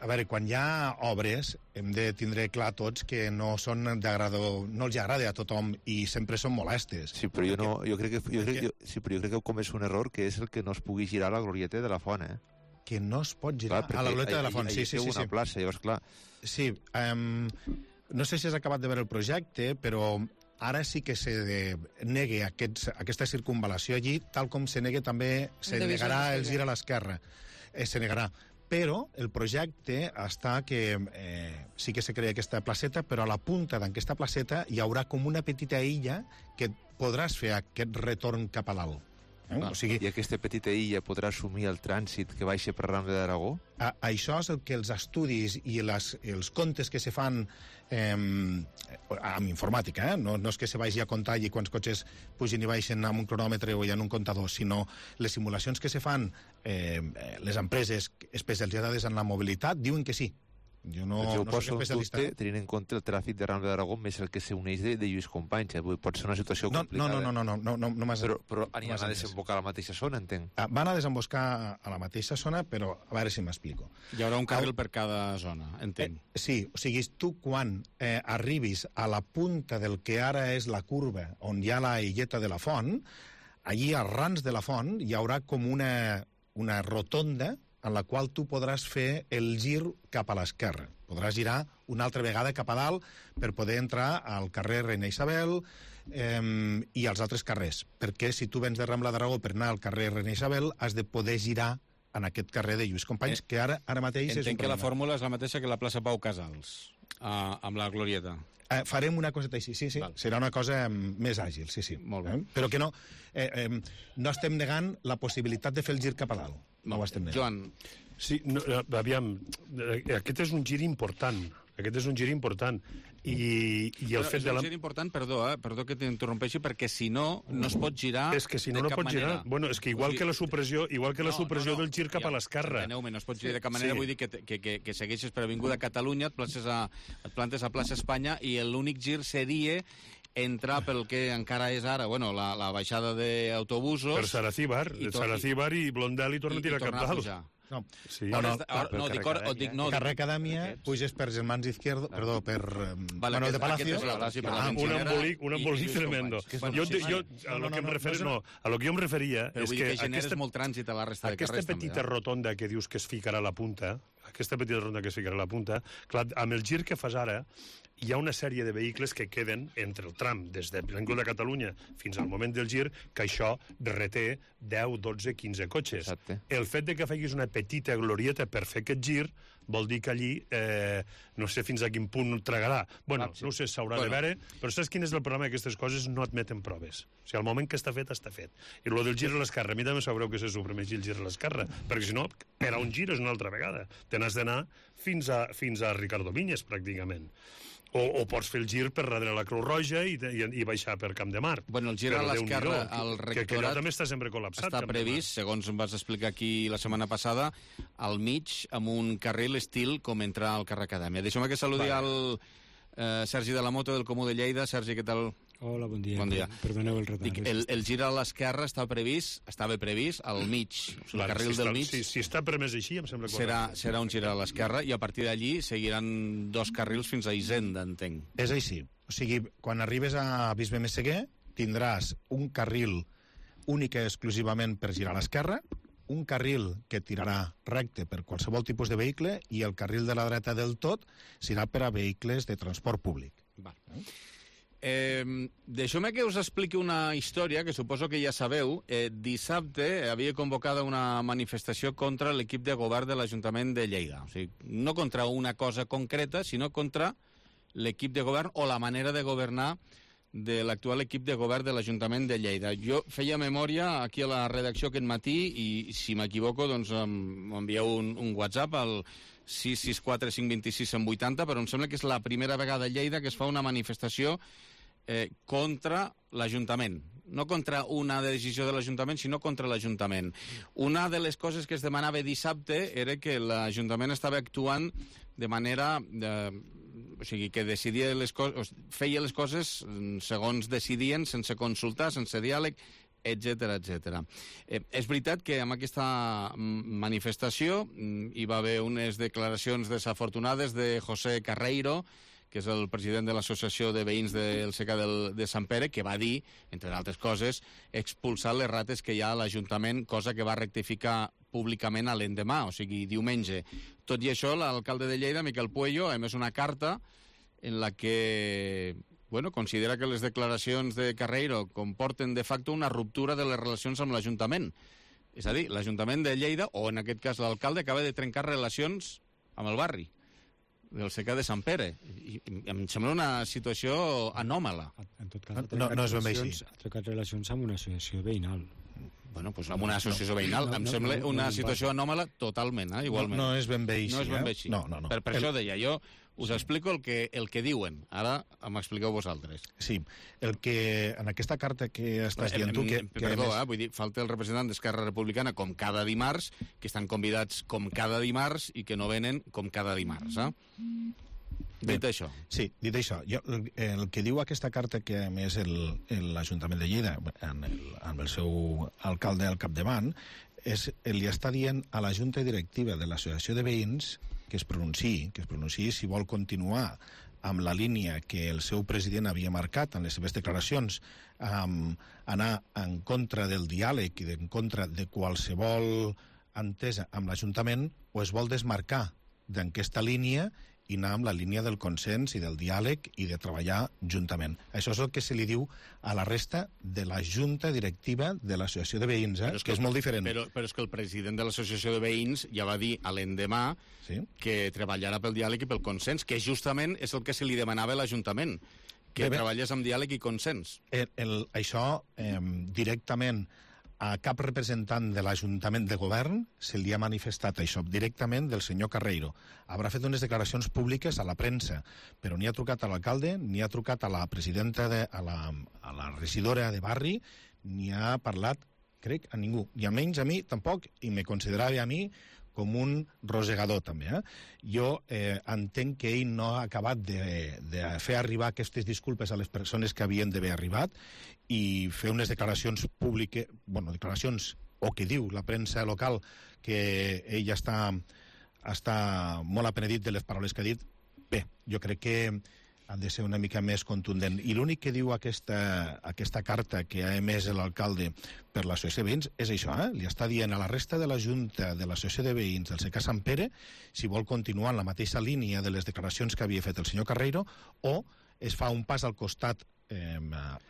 A veure, quan hi ha obres hem de tindre clar tots que no els agrada a tothom i sempre són molestes. Sí, però jo crec que heu comès un error, que és el que no es pugui girar a la glorieta de la font, eh? Que no es pot girar a la glorieta de la font, sí. Una plaça, llavors, clar... Sí, no sé si has acabat de veure el projecte, però ara sí que se negue aquesta circunvalació allí, tal com se negarà el gir a l'esquerra. Se negarà. Però el projecte està que sí que se crea aquesta placeta, però a la punta d'aquesta placeta hi haurà com una petita illa que podràs fer aquest retorn cap a dalt. O sigui, i aquesta petita illa podrà assumir el trànsit que baixa per Ram d'Aragó? Això és el que els estudis i els comptes que se fan amb informàtica, no és que se vagi a comptar i quants cotxes pugin i baixen amb un cronòmetre o en un comptador, sinó les simulacions que se fan les empreses especialitzades en la mobilitat diuen que sí. Jo no soc especialista. Tenint en compte el tràfic de Ram d'Aragó més el que s'uneix de Lluís Companys. Pot ser una situació complicada. No m'has... Però aniran a desembocar a la mateixa zona, entenc. Van a desembocar a la mateixa zona, però a veure si m'explico. Hi haurà un carril per cada zona, entenc. Sí, o sigui, tu quan arribis a la punta del que ara és la curva, on hi ha la illeta de la font, allí als rans de la font hi haurà com una rotonda en la qual tu podràs fer el gir cap a l'esquerra. Podràs girar una altra vegada cap a dalt per poder entrar al carrer Reina Isabel i als altres carrers. Perquè si tu vens de Rambla d'Aragó per anar al carrer Reina Isabel, has de poder girar en aquest carrer de Lluís Companys, que ara mateix és un problema. Entenc que la fórmula és la mateixa que la plaça Pau Casals, amb la glorieta. Farem una coseta així, sí. Val. Serà una cosa més àgil, sí. Molt bé. Però que no estem negant la possibilitat de fer el gir cap a dalt. No ho estem negant. Joan. Sí, aviam, aquest és un gir important. I el fet de la... És un gir important, perdó que t'interrompeixi, perquè si no es pot girar és que si no pot girar. Bueno, és que igual que la supressió del gir cap a l'esquerra. Enteneu-me, no es pot girar de cap manera, vull dir que segueixes per Avinguda Catalunya, et plantes a plaça Espanya i l'únic gir seria entrar pel que encara és ara, la baixada d'autobusos... Per Saracíbar i Blondel i torna a tirar cap dalt. Carrer Acadèmia, puges per Germans Izquierdo, perdó, per Manuel de Palacio. Un embolic tremendo. A lo que jo em referia és que aquesta petita rotonda que dius que es ficarà a la punta, clar, amb el gir que fas ara, hi ha una sèrie de vehicles que queden entre el tram des de l'Avinguda de Catalunya fins al moment del gir, que això reté 10, 12, 15 cotxes. Exacte. El fet de que facis una petita glorieta per fer aquest gir vol dir que allí no sé fins a quin punt tragarà. No ho sé, s'haurà de veure, però saps quin és el problema? Aquestes coses no admeten proves. O sigui, al moment que està fet, està fet. I el del gir a l'esquerra, a mi també sabreu que se suprimeixi el gir a l'esquerra, perquè si no, per a un gir és una altra vegada. Te n'has d'anar fins a Ricardo Vinyes, pràcticament. O pots fer el gir per darrere la Creu Roja i baixar per Camp de Mar. Bueno, el gir a l'esquerra al rectorat... Que allò també està sempre col·lapsat. Està previst, segons em vas explicar aquí la setmana passada, al mig, amb un carril estil com entrar al carrer Acadèmia. Deixa'm que saludi al Sergi de la Moto, del Comú de Lleida. Sergi, què tal? Hola, bon dia. Bon dia. Perdoneu el retard. El gir a l'esquerra estava previst al mig. El carril del mig... Si està permès així, em sembla correcte. Serà un gir a l'esquerra i a partir d'allí seguiran 2 carrils fins a Hisenda, entenc. És així. O sigui, quan arribes a Bisbe Messeguer tindràs un carril única i exclusivament per girar a l'esquerra, un carril que tirarà recte per qualsevol tipus de vehicle i el carril de la dreta del tot serà per a vehicles de transport públic. Deixeu-me que us expliqui una història que suposo que ja sabeu. Dissabte havia convocada una manifestació contra l'equip de govern de l'Ajuntament de Lleida. O sigui, no contra una cosa concreta, sinó contra l'equip de govern o la manera de governar de l'actual equip de govern de l'Ajuntament de Lleida. Jo feia memòria aquí a la redacció aquest matí i, si m'equivoco, doncs m'envieu un WhatsApp al 664 526 180, però em sembla que és la primera vegada a Lleida que es fa una manifestació contra l'Ajuntament. No contra una decisió de l'Ajuntament, sinó contra l'Ajuntament. Una de les coses que es demanava dissabte era que l'Ajuntament estava actuant de manera... o sigui, que decidia feia les coses segons decidien, sense consultar, sense diàleg, etc etc. És veritat que amb aquesta manifestació hi va haver unes declaracions desafortunades de José Carreiro, que és el president de l'Associació de Veïns del SECA de Sant Pere, que va dir, entre altres coses, expulsar les rates que hi ha a l'Ajuntament, cosa que va rectificar públicament a l'endemà, o sigui, diumenge. Tot i això, l'alcalde de Lleida, Miquel Puello, ha emès una carta en la que considera que les declaracions de Carreiro comporten de facto una ruptura de les relacions amb l'Ajuntament. És a dir, l'Ajuntament de Lleida, o en aquest cas l'alcalde, acaba de trencar relacions amb el barri del SECA de Sant Pere. I em sembla una situació anòmala. En tot cas, no és ben bé així. Ha trencat relacions amb una associació veïnal. Bueno, doncs amb una associació veïnal. Em sembla una situació anòmala totalment, igualment. No és ben bé així. No és ben bé així. No. Per això deia, jo us explico el que diuen. Ara m'expliqueu vosaltres. Sí, el que en aquesta carta que estàs dient tu... Perdó, vull dir, falta el representant d'Esquerra Republicana com cada dimarts, que estan convidats com cada dimarts i que no venen com cada dimarts. Dit això. Sí, dit això. El que diu aquesta carta que a més l'Ajuntament de Lleida, amb el seu alcalde al capdavant, li està dient a la Junta Directiva de l'Associació de Veïns que es pronunciï si vol continuar amb la línia que el seu president havia marcat en les seves declaracions, anar en contra del diàleg i en contra de qualsevol entesa amb l'Ajuntament, o es vol desmarcar d'aquesta línia i anar amb la línia del consens i del diàleg i de treballar juntament. Això és el que se li diu a la resta de la Junta Directiva de l'Associació de Veïns, que és molt diferent. Però és que el president de l'Associació de Veïns ja va dir a l'endemà que treballarà pel diàleg i pel consens, que justament és el que se li demanava a l'Ajuntament, que treballés amb diàleg i consens. Això directament a cap representant de l'Ajuntament de Govern se li ha manifestat això directament del senyor Carreiro. Haurà fet unes declaracions públiques a la premsa, però ni ha trucat a l'alcalde, ni ha trucat a la presidenta, a la regidora de barri, ni ha parlat, crec, a ningú. I almenys a mi tampoc, i me considerava a mi com un rosegador, també. Jo entenc que ell no ha acabat de fer arribar aquestes disculpes a les persones que havien d'haver arribat i fer unes declaracions públiques, declaracions, o que diu la premsa local, que ell està molt apenedit de les paraules que ha dit. Bé, jo crec que han de ser una mica més contundent. I l'únic que diu aquesta carta que ha emès l'alcalde per l'Associació de Veïns és això, li està dient a la resta de la Junta de l'Associació de Veïns del SECA Sant Pere si vol continuar en la mateixa línia de les declaracions que havia fet el senyor Carreiro o es fa un pas al costat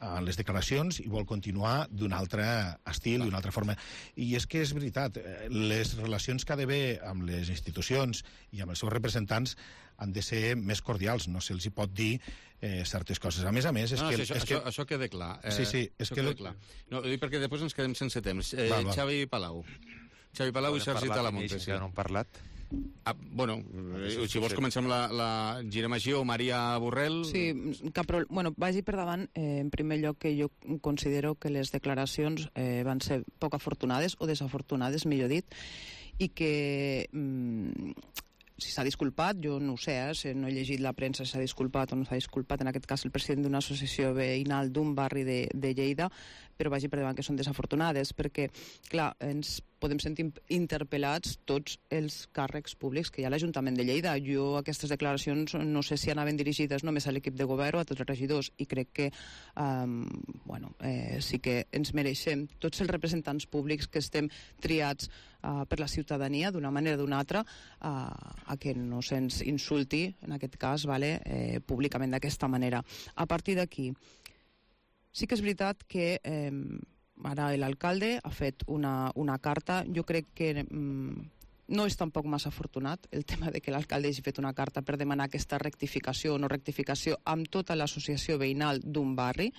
a les declaracions i vol continuar d'un altre estil, d'una altra forma. I és que és veritat, les relacions que ha d'haver amb les institucions i amb els seus representants han de ser més cordials, no se'ls hi pot dir certes coses. A més, això queda clar. Sí, és que... No, ho dic perquè després ens quedem sense temps. Xavi Palau i Sergi Talamonte. Que no han parlat. Si vols començar amb girem així, o Maria Borrell... Sí, vagi per davant. En primer lloc, que jo considero que les declaracions van ser poc afortunades, o desafortunades, millor dit, i que si s'ha disculpat, jo no ho sé, no he llegit la premsa si s'ha disculpat o no s'ha disculpat, en aquest cas el president d'una associació veïnal d'un barri de Lleida, però vagi per davant que són desafortunades, perquè, clar, ens podem sentir interpel·lats tots els càrrecs públics que hi ha a l'Ajuntament de Lleida. Jo aquestes declaracions no sé si anaven dirigides només a l'equip de govern o a tots els regidors, i crec que sí que ens mereixem tots els representants públics que estem triats per la ciutadania d'una manera o d'una altra a que no se'ns insulti, en aquest cas, públicament d'aquesta manera. A partir d'aquí, sí que és veritat que ara l'alcalde ha fet una carta. Jo crec que no és tampoc massa afortunat el tema de que l'alcalde hagi fet una carta per demanar aquesta rectificació o no rectificació amb tota l'associació veïnal d'un barri,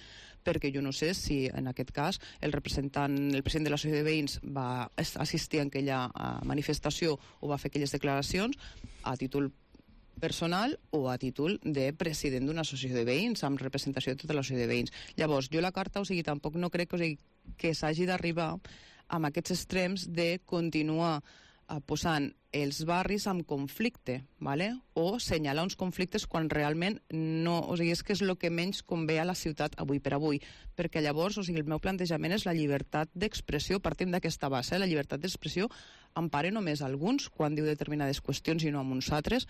perquè jo no sé si en aquest cas el president de l'associació de veïns va assistir a aquella manifestació o va fer aquelles declaracions a títol personal o a títol de president d'una associació de veïns amb representació de tota l'associació de veïns. Llavors, jo la carta, tampoc no crec que s'hagi d'arribar amb aquests extrems de continuar posant els barris en conflicte, o senyalar uns conflictes quan realment no... és que és el que menys convé a la ciutat avui per avui, perquè llavors, el meu plantejament és la llibertat d'expressió, partim d'aquesta base, la llibertat d'expressió empara només alguns quan diu determinades qüestions i no amb uns altres.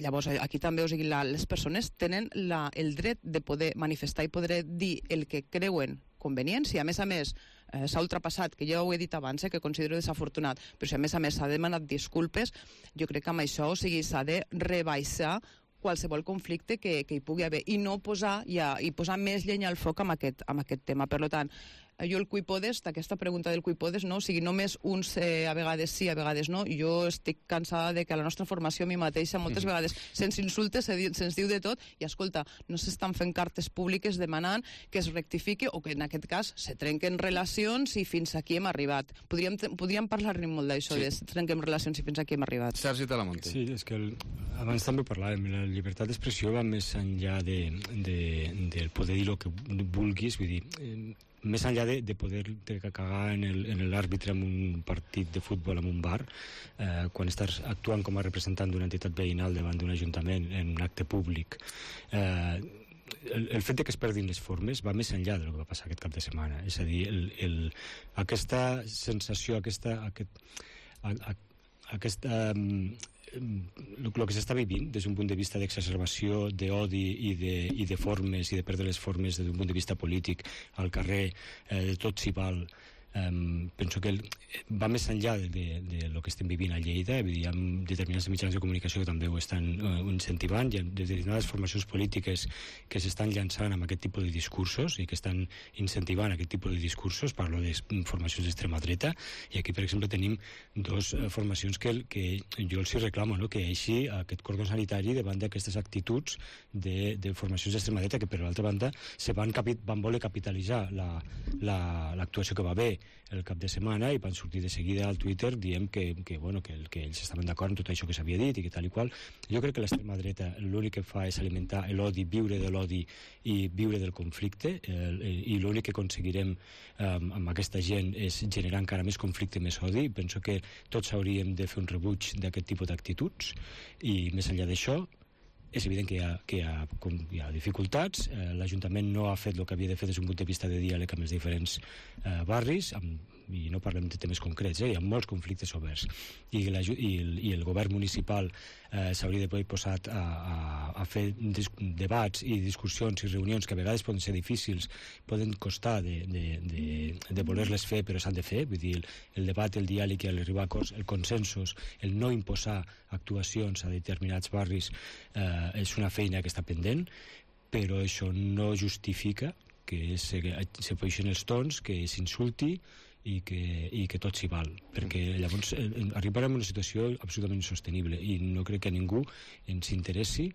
Llavors, aquí també, les persones tenen el dret de poder manifestar i poder dir el que creuen convenient. Si a més s'ha ultrapassat, que ja ho he dit abans, que considero desafortunat, però si a més s'ha demanat disculpes, jo crec que amb això s'ha de rebaixar qualsevol conflicte que hi pugui haver i no posar més llenya al foc amb aquest tema. Per tant, jo el cuipodes, aquesta pregunta del cuipodes, no? Només uns a vegades sí, a vegades no. Jo estic cansada de que a la nostra formació, a mi mateixa, moltes vegades se'ns insulta, se'ns diu de tot, i escolta, no s'estan fent cartes públiques demanant que es rectifiqui o que en aquest cas se trenquen relacions i fins aquí hem arribat. Podríem parlar-ne molt d'això, de trenquem relacions i fins aquí hem arribat. Sergi Talamonte. Sí, és que abans també parlàvem, la llibertat d'expressió va més enllà del poder dir el que vulguis, vull dir, més enllà de poder cagar en l'àrbitre en un partit de futbol en un bar, quan estàs actuant com a representant d'una entitat veïnal davant d'un ajuntament en un acte públic, el fet que es perdin les formes va més enllà del que va passar aquest cap de setmana. És a dir, aquesta sensació, el que s'està vivint des d'un punt de vista d'exacerbació, d'odi i de formes i de perdre les formes des d'un punt de vista polític al carrer, de tot s'hi val, penso que va més enllà del que estem vivint a Lleida. Hi ha determinats mitjans de comunicació que també ho estan incentivant, hi ha determinades formacions polítiques que s'estan llançant amb aquest tipus de discursos i que estan incentivant aquest tipus de discursos. Parlo de formacions d'extrema dreta, i aquí per exemple tenim dos formacions que jo els reclamo, que així aquest cordó sanitari davant d'aquestes actituds de formacions d'extrema dreta que per l'altra banda van voler capitalitzar l'actuació que va haver el cap de setmana i van sortir de seguida al Twitter dient que ells estaven d'acord amb tot això que s'havia dit i que tal i qual. Jo crec que l'extrema dreta l'únic que fa és alimentar l'odi, viure de l'odi i viure del conflicte, i l'únic que aconseguirem amb aquesta gent és generar encara més conflicte, més odi. Penso que tots hauríem de fer un rebuig d'aquest tipus d'actituds, i més enllà d'això és evident que hi ha dificultats. L'Ajuntament no ha fet el que havia de fer des d'un punt de vista de diàleg amb els diferents barris, i no parlem de temes concrets, hi ha molts conflictes oberts, i el govern municipal s'hauria d'haver posat a fer debats i discussions i reunions que a vegades poden ser difícils, poden costar de voler-les fer, però s'han de fer. Vull dir, el debat, el diàleg i l'arribar a acords, el consensos, el no imposar actuacions a determinats barris és una feina que està pendent, però això no justifica que se puixin els tons, que s'insulti i que tot s'hi val, perquè llavors arribarem a una situació absolutament insostenible, i no crec que a ningú ens interessi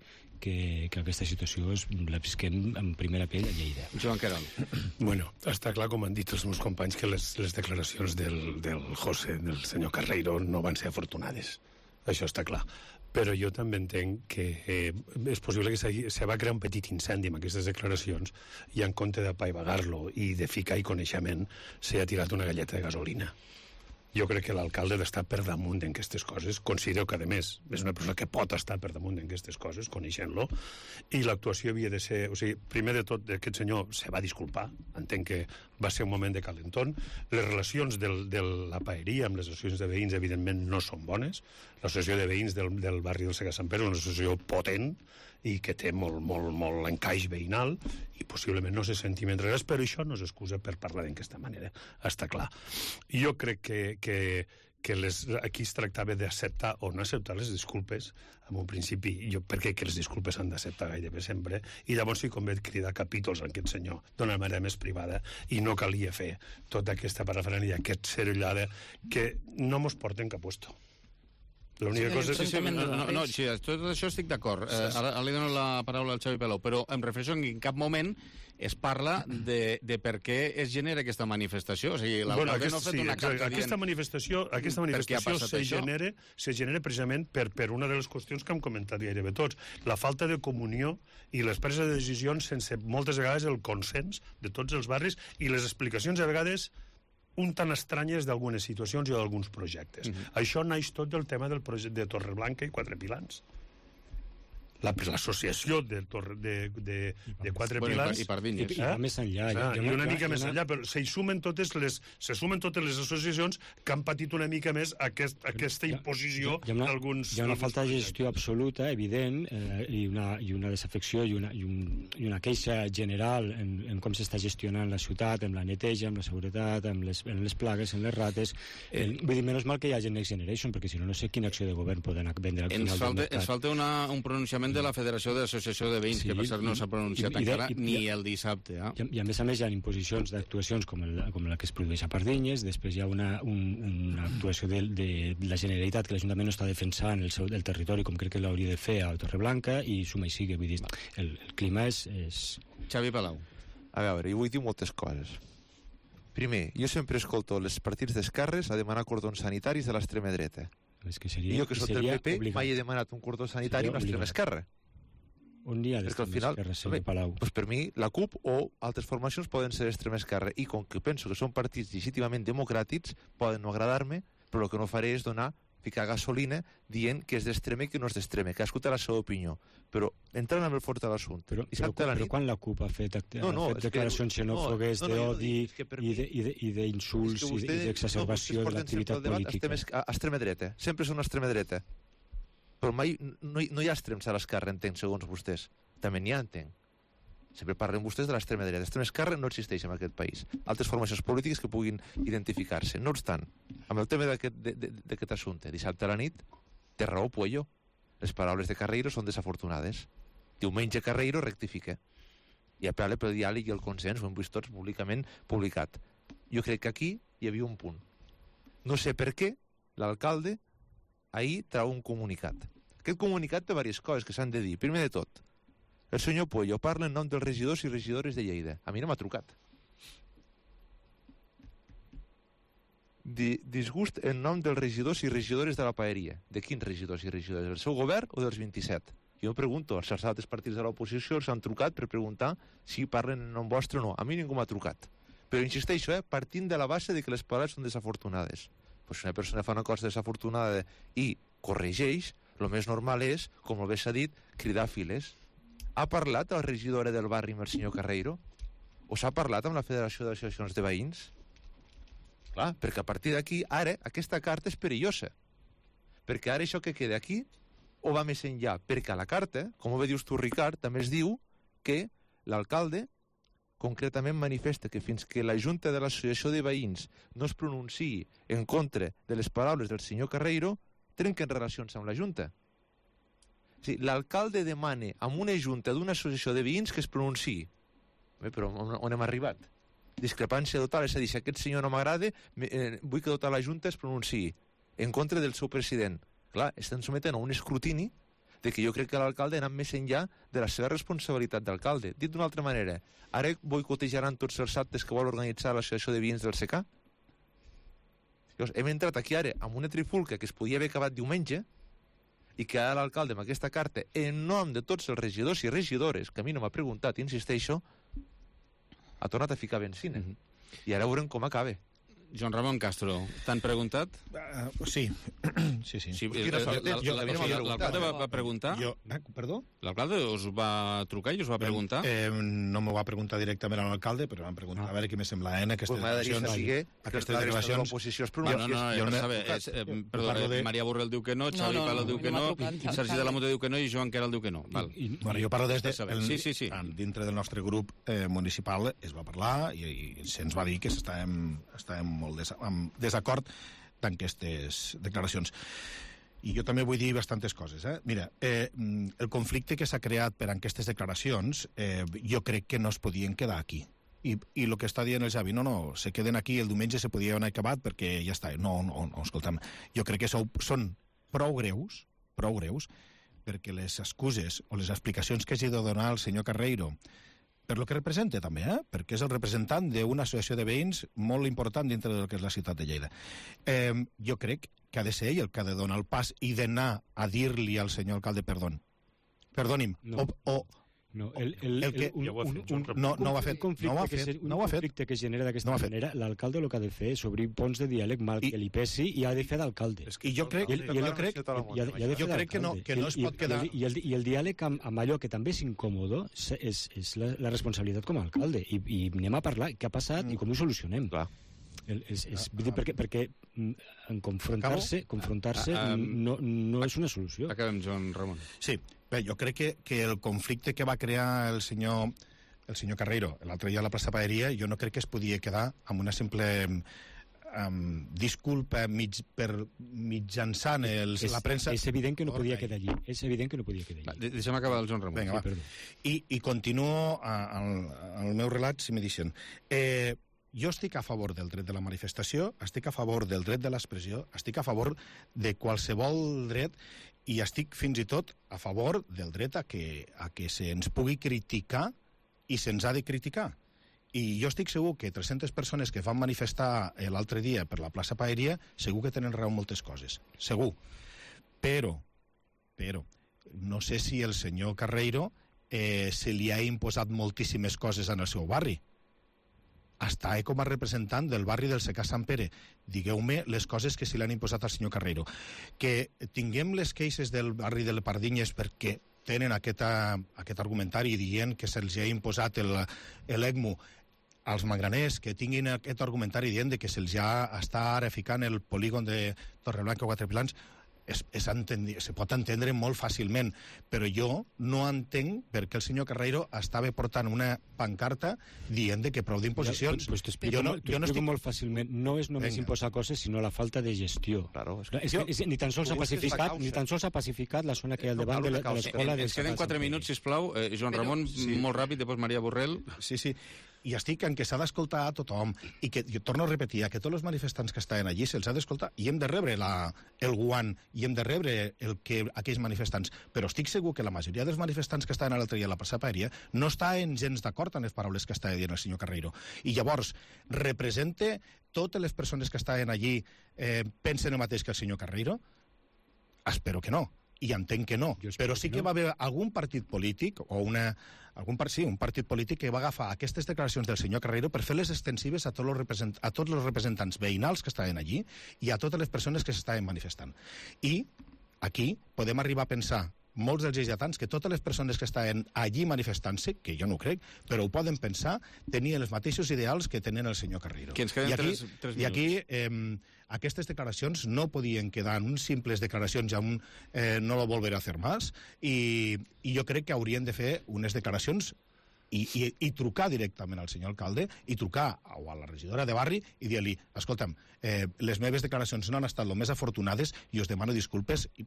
que aquesta situació la visquem en primera pell a Lleida. Joan Querol. Bueno, està clar, com han dit els meus companys, que les declaracions del José, del senyor Carreiro, no van ser afortunades. Això està clar. Però jo també entenc que és possible que se va crear un petit incendi amb aquestes declaracions, i en compte d'apaivagar-lo i de ficar-hi coneixement s'ha tirat una galleta de gasolina. Jo crec que l'alcalde ha d'estar per damunt d'aquestes coses. Considero que, a més, és una persona que pot estar per damunt d'aquestes coses, coneixent-lo, i l'actuació havia de ser... O sigui, primer de tot, aquest senyor se va disculpar, entenc que va ser un moment de calentón. Les relacions de la paeria amb les associacions de veïns, evidentment, no són bones. L'associació de veïns del barri del Sega Sant Pere és una associació potent i que té molt encaix veïnal, i possiblement no se senti mentre res, però això no és excusa per parlar d'aquesta manera, està clar. Jo crec que aquí es tractava d'acceptar o no acceptar les disculpes. En un principi, jo crec que les disculpes s'han d'acceptar gairebé sempre, i llavors sí convé cridar capítols a aquest senyor d'una manera més privada, i no calia fer tota aquesta parafernàlia, aquesta cerullada, que no mos porten cap puesto. L'única cosa és... Sí, tot això estic d'acord. Ara li dono la paraula al Xavi Peló, però em refereixo que en cap moment es parla de per què es genera aquesta manifestació. O sigui, l'alcalde no ha fet una carta dient... Aquesta manifestació se genera precisament per una de les qüestions que hem comentat gairebé tots. La falta de comunió i les preses de decisions sense moltes vegades el consens de tots els barris i les explicacions a vegades un tan estranyes d'algunes situacions i d'alguns projectes. Això naix tot del tema del projecte de Torreblanca i Quatre Pilans. L'associació de Quatre Pilans... I Pardinyes. I més enllà. I una mica més enllà, però se sumen totes les associacions que han patit una mica més aquesta imposició d'alguns... Hi ha una falta de gestió absoluta, evident, i una desafecció i una queixa general en com s'està gestionant la ciutat, amb la neteja, amb la seguretat, amb les plagues, amb les rates. Vull dir, menys mal que hi ha Next Generation, perquè si no, no sé quina acció de govern poden vendre al final del mercat. Ens falta un pronunciament de la Federació d'Associació de Veïns, que per cert no s'ha pronunciat encara ni el dissabte. I a més hi ha imposicions d'actuacions com la que es produeix a Pardinyes, després hi ha una actuació de la Generalitat que l'Ajuntament no està defensant el territori com crec que l'hauria de fer a Torreblanca, i suma i sigue, vull dir, el clima és... Xavi Palau. A veure, jo vull dir moltes coses. Primer, jo sempre escolto els partits d'esquerres a demanar cordons sanitaris de l'extrema dreta. I jo que soc del PP mai he demanat un cordó sanitari amb l'extrema esquerra. On hi ha l'extrema esquerra, senyor Palau? Doncs per mi, la CUP o altres formacions poden ser d'extrema esquerra, i com que penso que són partits legítimament democràtics, poden no agradar-me, però el que no faré és ficar gasolina dient que és d'extrema i que no és d'extrema, que cadascú té la seva opinió. Però entrant amb el fort de l'assumpte... Però quan la CUP ha fet declaracions xenòfogues d'odi i d'insults i d'exacerbació de l'activitat política? Extrema dreta. Sempre són extrema dreta. Però mai no hi ha extrems a l'esquerra, entenc, segons vostès. També n'hi ha, entenc. Sempre parlen vostès de l'extrema dreta. L'extrema esquerra no existeix en aquest país. Altres formacions polítiques que puguin identificar-se. No obstant, amb el tema d'aquest assumpte, dissabte a la nit, té raó Puello. Les paraules de Carreiro són desafortunades. Diumenge Carreiro rectifica i apel·la pel diàleg i el consens, ho hem vist tots públicament publicat. Jo crec que aquí hi havia un punt. No sé per què l'alcalde ahir trau un comunicat. Aquest comunicat té diverses coses que s'han de dir. Primer de tot, el senyor Puello parla en nom dels regidors i regidores de Lleida. A mi no m'ha trucat. Disgust en nom dels regidors i regidores de la paeria. De quins regidors i regidores? Del seu govern o dels 27? Jo em pregunto, els altres partits de l'oposició els han trucat per preguntar si parlen en nom vostre o no. A mi ningú m'ha trucat. Però insisteixo, partint de la base de que les paraules són desafortunades. Pues si una persona fa una cosa desafortunada i corregeix, el més normal és, com bé s'ha dit, cridar files. Ha parlat la regidora del barri amb el senyor Carreiro? O s'ha parlat amb la Federació d'Associacions de Veïns? Clar, perquè a partir d'aquí, ara, aquesta carta és perillosa. Perquè ara això que queda aquí o va més enllà? Perquè a la carta, com ho dius tu, Ricard, també es diu que l'alcalde concretament manifesta que fins que la Junta de l'Associació de Veïns no es pronunciï en contra de les paraules del senyor Carreiro, trenquen relacions amb la Junta. Sí, l'alcalde demana a una junta d'una associació de veïns que es pronunciï. Però on hem arribat? Discrepància total, és a dir, si aquest senyor no m'agrada, vull que tota la junta es pronunciï en contra del seu president. Clar, estan sometent a un escrutini de que jo crec que l'alcalde ha anat més enllà de la seva responsabilitat d'alcalde. Dit d'una altra manera, ara boicotejaran tots els actes que vol organitzar l'associació de veïns del SECA? Llavors, hem entrat aquí ara amb una trifulca que es podia haver acabat diumenge, i que ara l'alcalde amb aquesta carta, en nom de tots els regidors i regidores, que a mi no m'ha preguntat, insisteixo, ha tornat a ficar benzina. I ara veurem com acaba. Joan Ramon Castro, t'han preguntat? Sí. L'alcalde va preguntar? Perdó? L'alcalde us va trucar i us va preguntar? No m'ho va preguntar directament a l'alcalde, però van preguntar a veure què me sembla aquestes declaracions. L'oposició és perdó, Maria Borrell diu que no, Xavi Palo diu que no, Sergi de la Mota diu que no i Joan Queralt diu que no. Jo parlo des de... Dintre del nostre grup municipal es va parlar i se'ns va dir que estàvem molt en desacord d'aquestes declaracions. I jo també vull dir bastantes coses. Mira, el conflicte que s'ha creat per aquestes declaracions jo crec que no es podien quedar aquí. I el que està dient el Xavi, no, se queden aquí, el diumenge se podia haver acabat perquè ja està. No, escolta'm, jo crec que són prou greus perquè les excuses o les explicacions que hagi de donar el senyor Carreiro per lo que representa també, perquè és el representant d'una associació de veïns molt important dintre del que és la ciutat de Lleida. Jo crec que ha de ser ell el que ha de donar el pas i d'anar a dir-li al senyor alcalde perdoni'm, No, no ho ha fet. Un conflicte que es genera d'aquesta manera, l'alcalde el que ha de fer és obrir ponts de diàleg mal que li pesi i ha de fer d'alcalde. I jo crec que no es pot quedar... I el diàleg amb allò que també és incòmodo és la responsabilitat com a alcalde. I anem a parlar què ha passat i com ho solucionem. Perquè confrontar-se no és una solució. Acabem, Joan Ramon. Sí, bé, jo crec que el conflicte que va crear el senyor Carreiro l'altre dia a la plaça Paeria, jo no crec que es podia quedar amb una simple disculpa mitjançant la premsa. És evident que no podia quedar allí. Deixem acabar el Joan Ramon. Vinga, va. I continuo el meu relat, si me deixen. Jo estic a favor del dret de la manifestació, estic a favor del dret de l'expressió, estic a favor de qualsevol dret i estic fins i tot a favor del dret a que se'ns pugui criticar i se'ns ha de criticar. I jo estic segur que 300 persones que van manifestar l'altre dia per la plaça Paeria segur que tenen raó en moltes coses. Segur. Però no sé si el senyor Carreiro se li ha imposat moltíssimes coses en el seu barri. Està com a representant del barri del Secà Sant Pere. Digueu-me les coses que se li han imposat al senyor Carreiro. Que tinguem les queixes del barri de les Pardinyes perquè tenen aquest argumentari dient que se'ls ha imposat l'ECMO als magraners, que tinguin aquest argumentari dient que se'ls ja està ara ficant el polígon de Torreblanca o Quatre Pilans, se pot entendre molt fàcilment, però jo no entenc per què el senyor Carreiro estava portant una pancarta dient que prou d'imposicions. Pues t'explico molt fàcilment. No és només imposar coses, sinó la falta de gestió. Ni tan sols ha pacificat la zona que hi ha al davant de l'escola. Ens queden 4 minuts, sisplau. Joan Ramon, molt ràpid, després Maria Borrell. Sí. I estic en que s'ha d'escoltar a tothom i que, jo torno a repetir, que tots els manifestants que estaven allí se'ls ha d'escoltar i hem de rebre el guant i hem de rebre aquells manifestants, però estic segur que la majoria dels manifestants que estaven l'altre dia a la plaça Paeria no estaven gens d'acord amb les paraules que estava dient el senyor Carreiro. I llavors, representa totes les persones que estaven allí pensen el mateix que el senyor Carreiro? Espero que no. I entenc que no, però sí que va haver algun partit polític o un partit polític que va agafar aquestes declaracions del senyor Carreiro per fer-les extensives a tots els representants veïnals que estaven allí i a totes les persones que s'estaven manifestant. I aquí podem arribar a pensar molts dels lleidatans que totes les persones que estaven allí manifestant-se, que jo no ho crec, però ho poden pensar, tenien els mateixos ideals que tenen el senyor Carreiro. I aquí aquestes declaracions no podien quedar en uns simples declaracions ja no lo volveré a hacer más, i jo crec que haurien de fer unes declaracions i trucar directament al senyor alcalde i trucar a la regidora de barri i dir-li, escolta'm, les meves declaracions no han estat el més afortunades i us demano disculpes i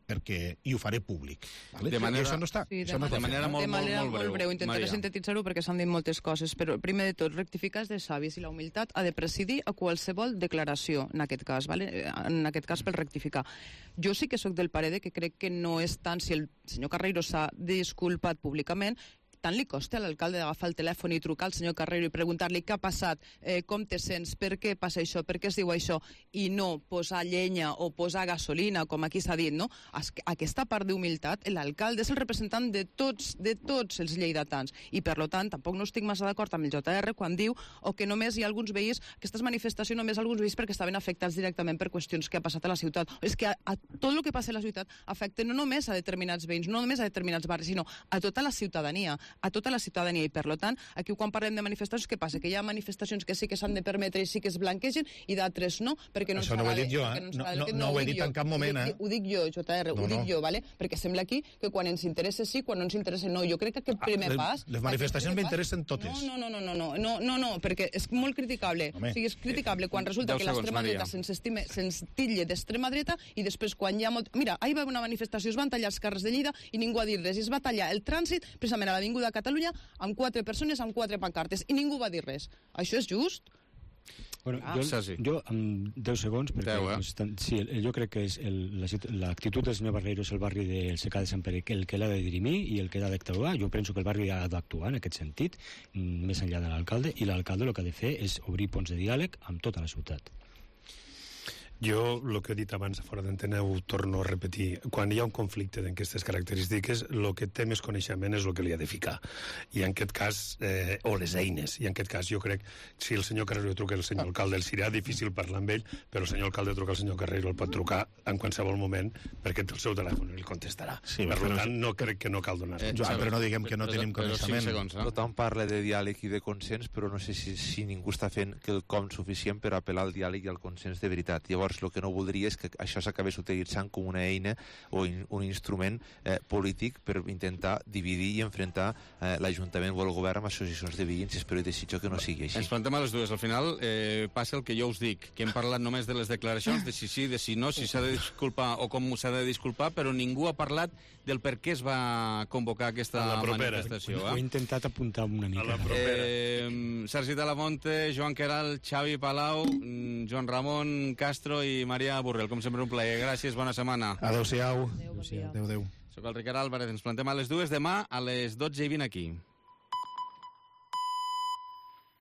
ho faré públic. De manera, això no està. De manera molt breu. Intentaré sintetitzar-ho perquè s'han dit moltes coses, però primer de tot, rectificar és de savis i la humilitat ha de presidir a qualsevol declaració, en aquest cas, en aquest cas per rectificar. Jo sí que sóc del parer que crec que no és tant si el senyor Carreiro s'ha disculpat públicament, tant li costa a l'alcalde d'agafar el telèfon i trucar al senyor Carrero i preguntar-li què ha passat, com te sents, per què passa això, per què es diu això, i no posar llenya o posar gasolina, com aquí s'ha dit, no? Aquesta part d'humilitat, l'alcalde és el representant de tots els lleidatans, i per tant tampoc no estic massa d'acord amb el JR quan diu que només hi ha alguns veïns, aquestes manifestacions només alguns veïns perquè estaven afectats directament per qüestions que ha passat a la ciutat. És que a tot el que passa a la ciutat afecta no només a determinats veïns, no només a determinats barris, sinó a tota la ciutadania, i per tant, aquí quan parlem de manifestacions, què passa? Que hi ha manifestacions que sí que s'han de permetre i sí que es blanquegen i d'altres no, perquè no ens Això no ho he dit jo, no ho he dit en cap moment, Ho dic jo, JR, ho dic jo, perquè sembla aquí que quan ens interessa sí, quan no ens interessa no. Jo crec que aquest primer pas... Les manifestacions m'interessen totes. No, perquè és molt criticable. O sigui, és criticable quan resulta que l'extrema dreta se'ns titlla d'extrema dreta i després quan hi ha molt... Mira, ahir va haver una manifestació, es van tallar els carrers de Lleida i ningú ha dit res. Es va tallar el trànsit precisament a l'Avinguda Catalunya amb 4 persones, amb 4 pancartes, i ningú va dir res. Això és just? Bueno, jo amb 10 segons, perquè sí, jo crec que és l'actitud del senyor Barreiro és el barri del Secà de Sant Pere, el que l'ha de dirimir i el que l'ha d'actuar. Jo penso que el barri ha d'actuar en aquest sentit, més enllà de l'alcalde, i l'alcalde el que ha de fer és obrir ponts de diàleg amb tota la ciutat. Jo, el que he dit abans, fora d'antena, ho torno a repetir. Quan hi ha un conflicte d'aquestes característiques, el que té més coneixement és el que li ha de ficar. I en aquest cas, o les eines, i en aquest cas jo crec, si el senyor Carrero truca al senyor alcalde, serà difícil parlar amb ell, però el senyor alcalde truca al senyor Carrero, el pot trucar en qualsevol moment, perquè té el seu telèfon i el contestarà. Sí, per tant, no crec que no cal donar. Però no diguem que no tenim coneixement. Tothom parla de diàleg i de consens, però no sé si ningú està fent quelcom suficient per apel·lar al diàleg i al consens de veritat. Llavors, el que no voldria és que això s'acabés utilitzant com una eina o un instrument polític per intentar dividir i enfrontar l'Ajuntament o el govern amb associacions de veïns, i espero i desitjo que no sigui així. Ens plantem a les dues. Al final passa el que jo us dic, que hem parlat només de les declaracions, de si sí, de si no, si s'ha de disculpar o com s'ha de disculpar, però ningú ha parlat del per què es va convocar aquesta manifestació. Ho he intentat apuntar una mica. Sergi Talamonte, Joan Queralt, Xavi Palau, Joan Ramon Castro i Maria Burrell. Com sempre, un plaer. Gràcies, bona setmana. Adéu-siau. Adéu. Soc el Ricard Álvarez. Ens plantem a les dues. Demà a les 12:20 aquí.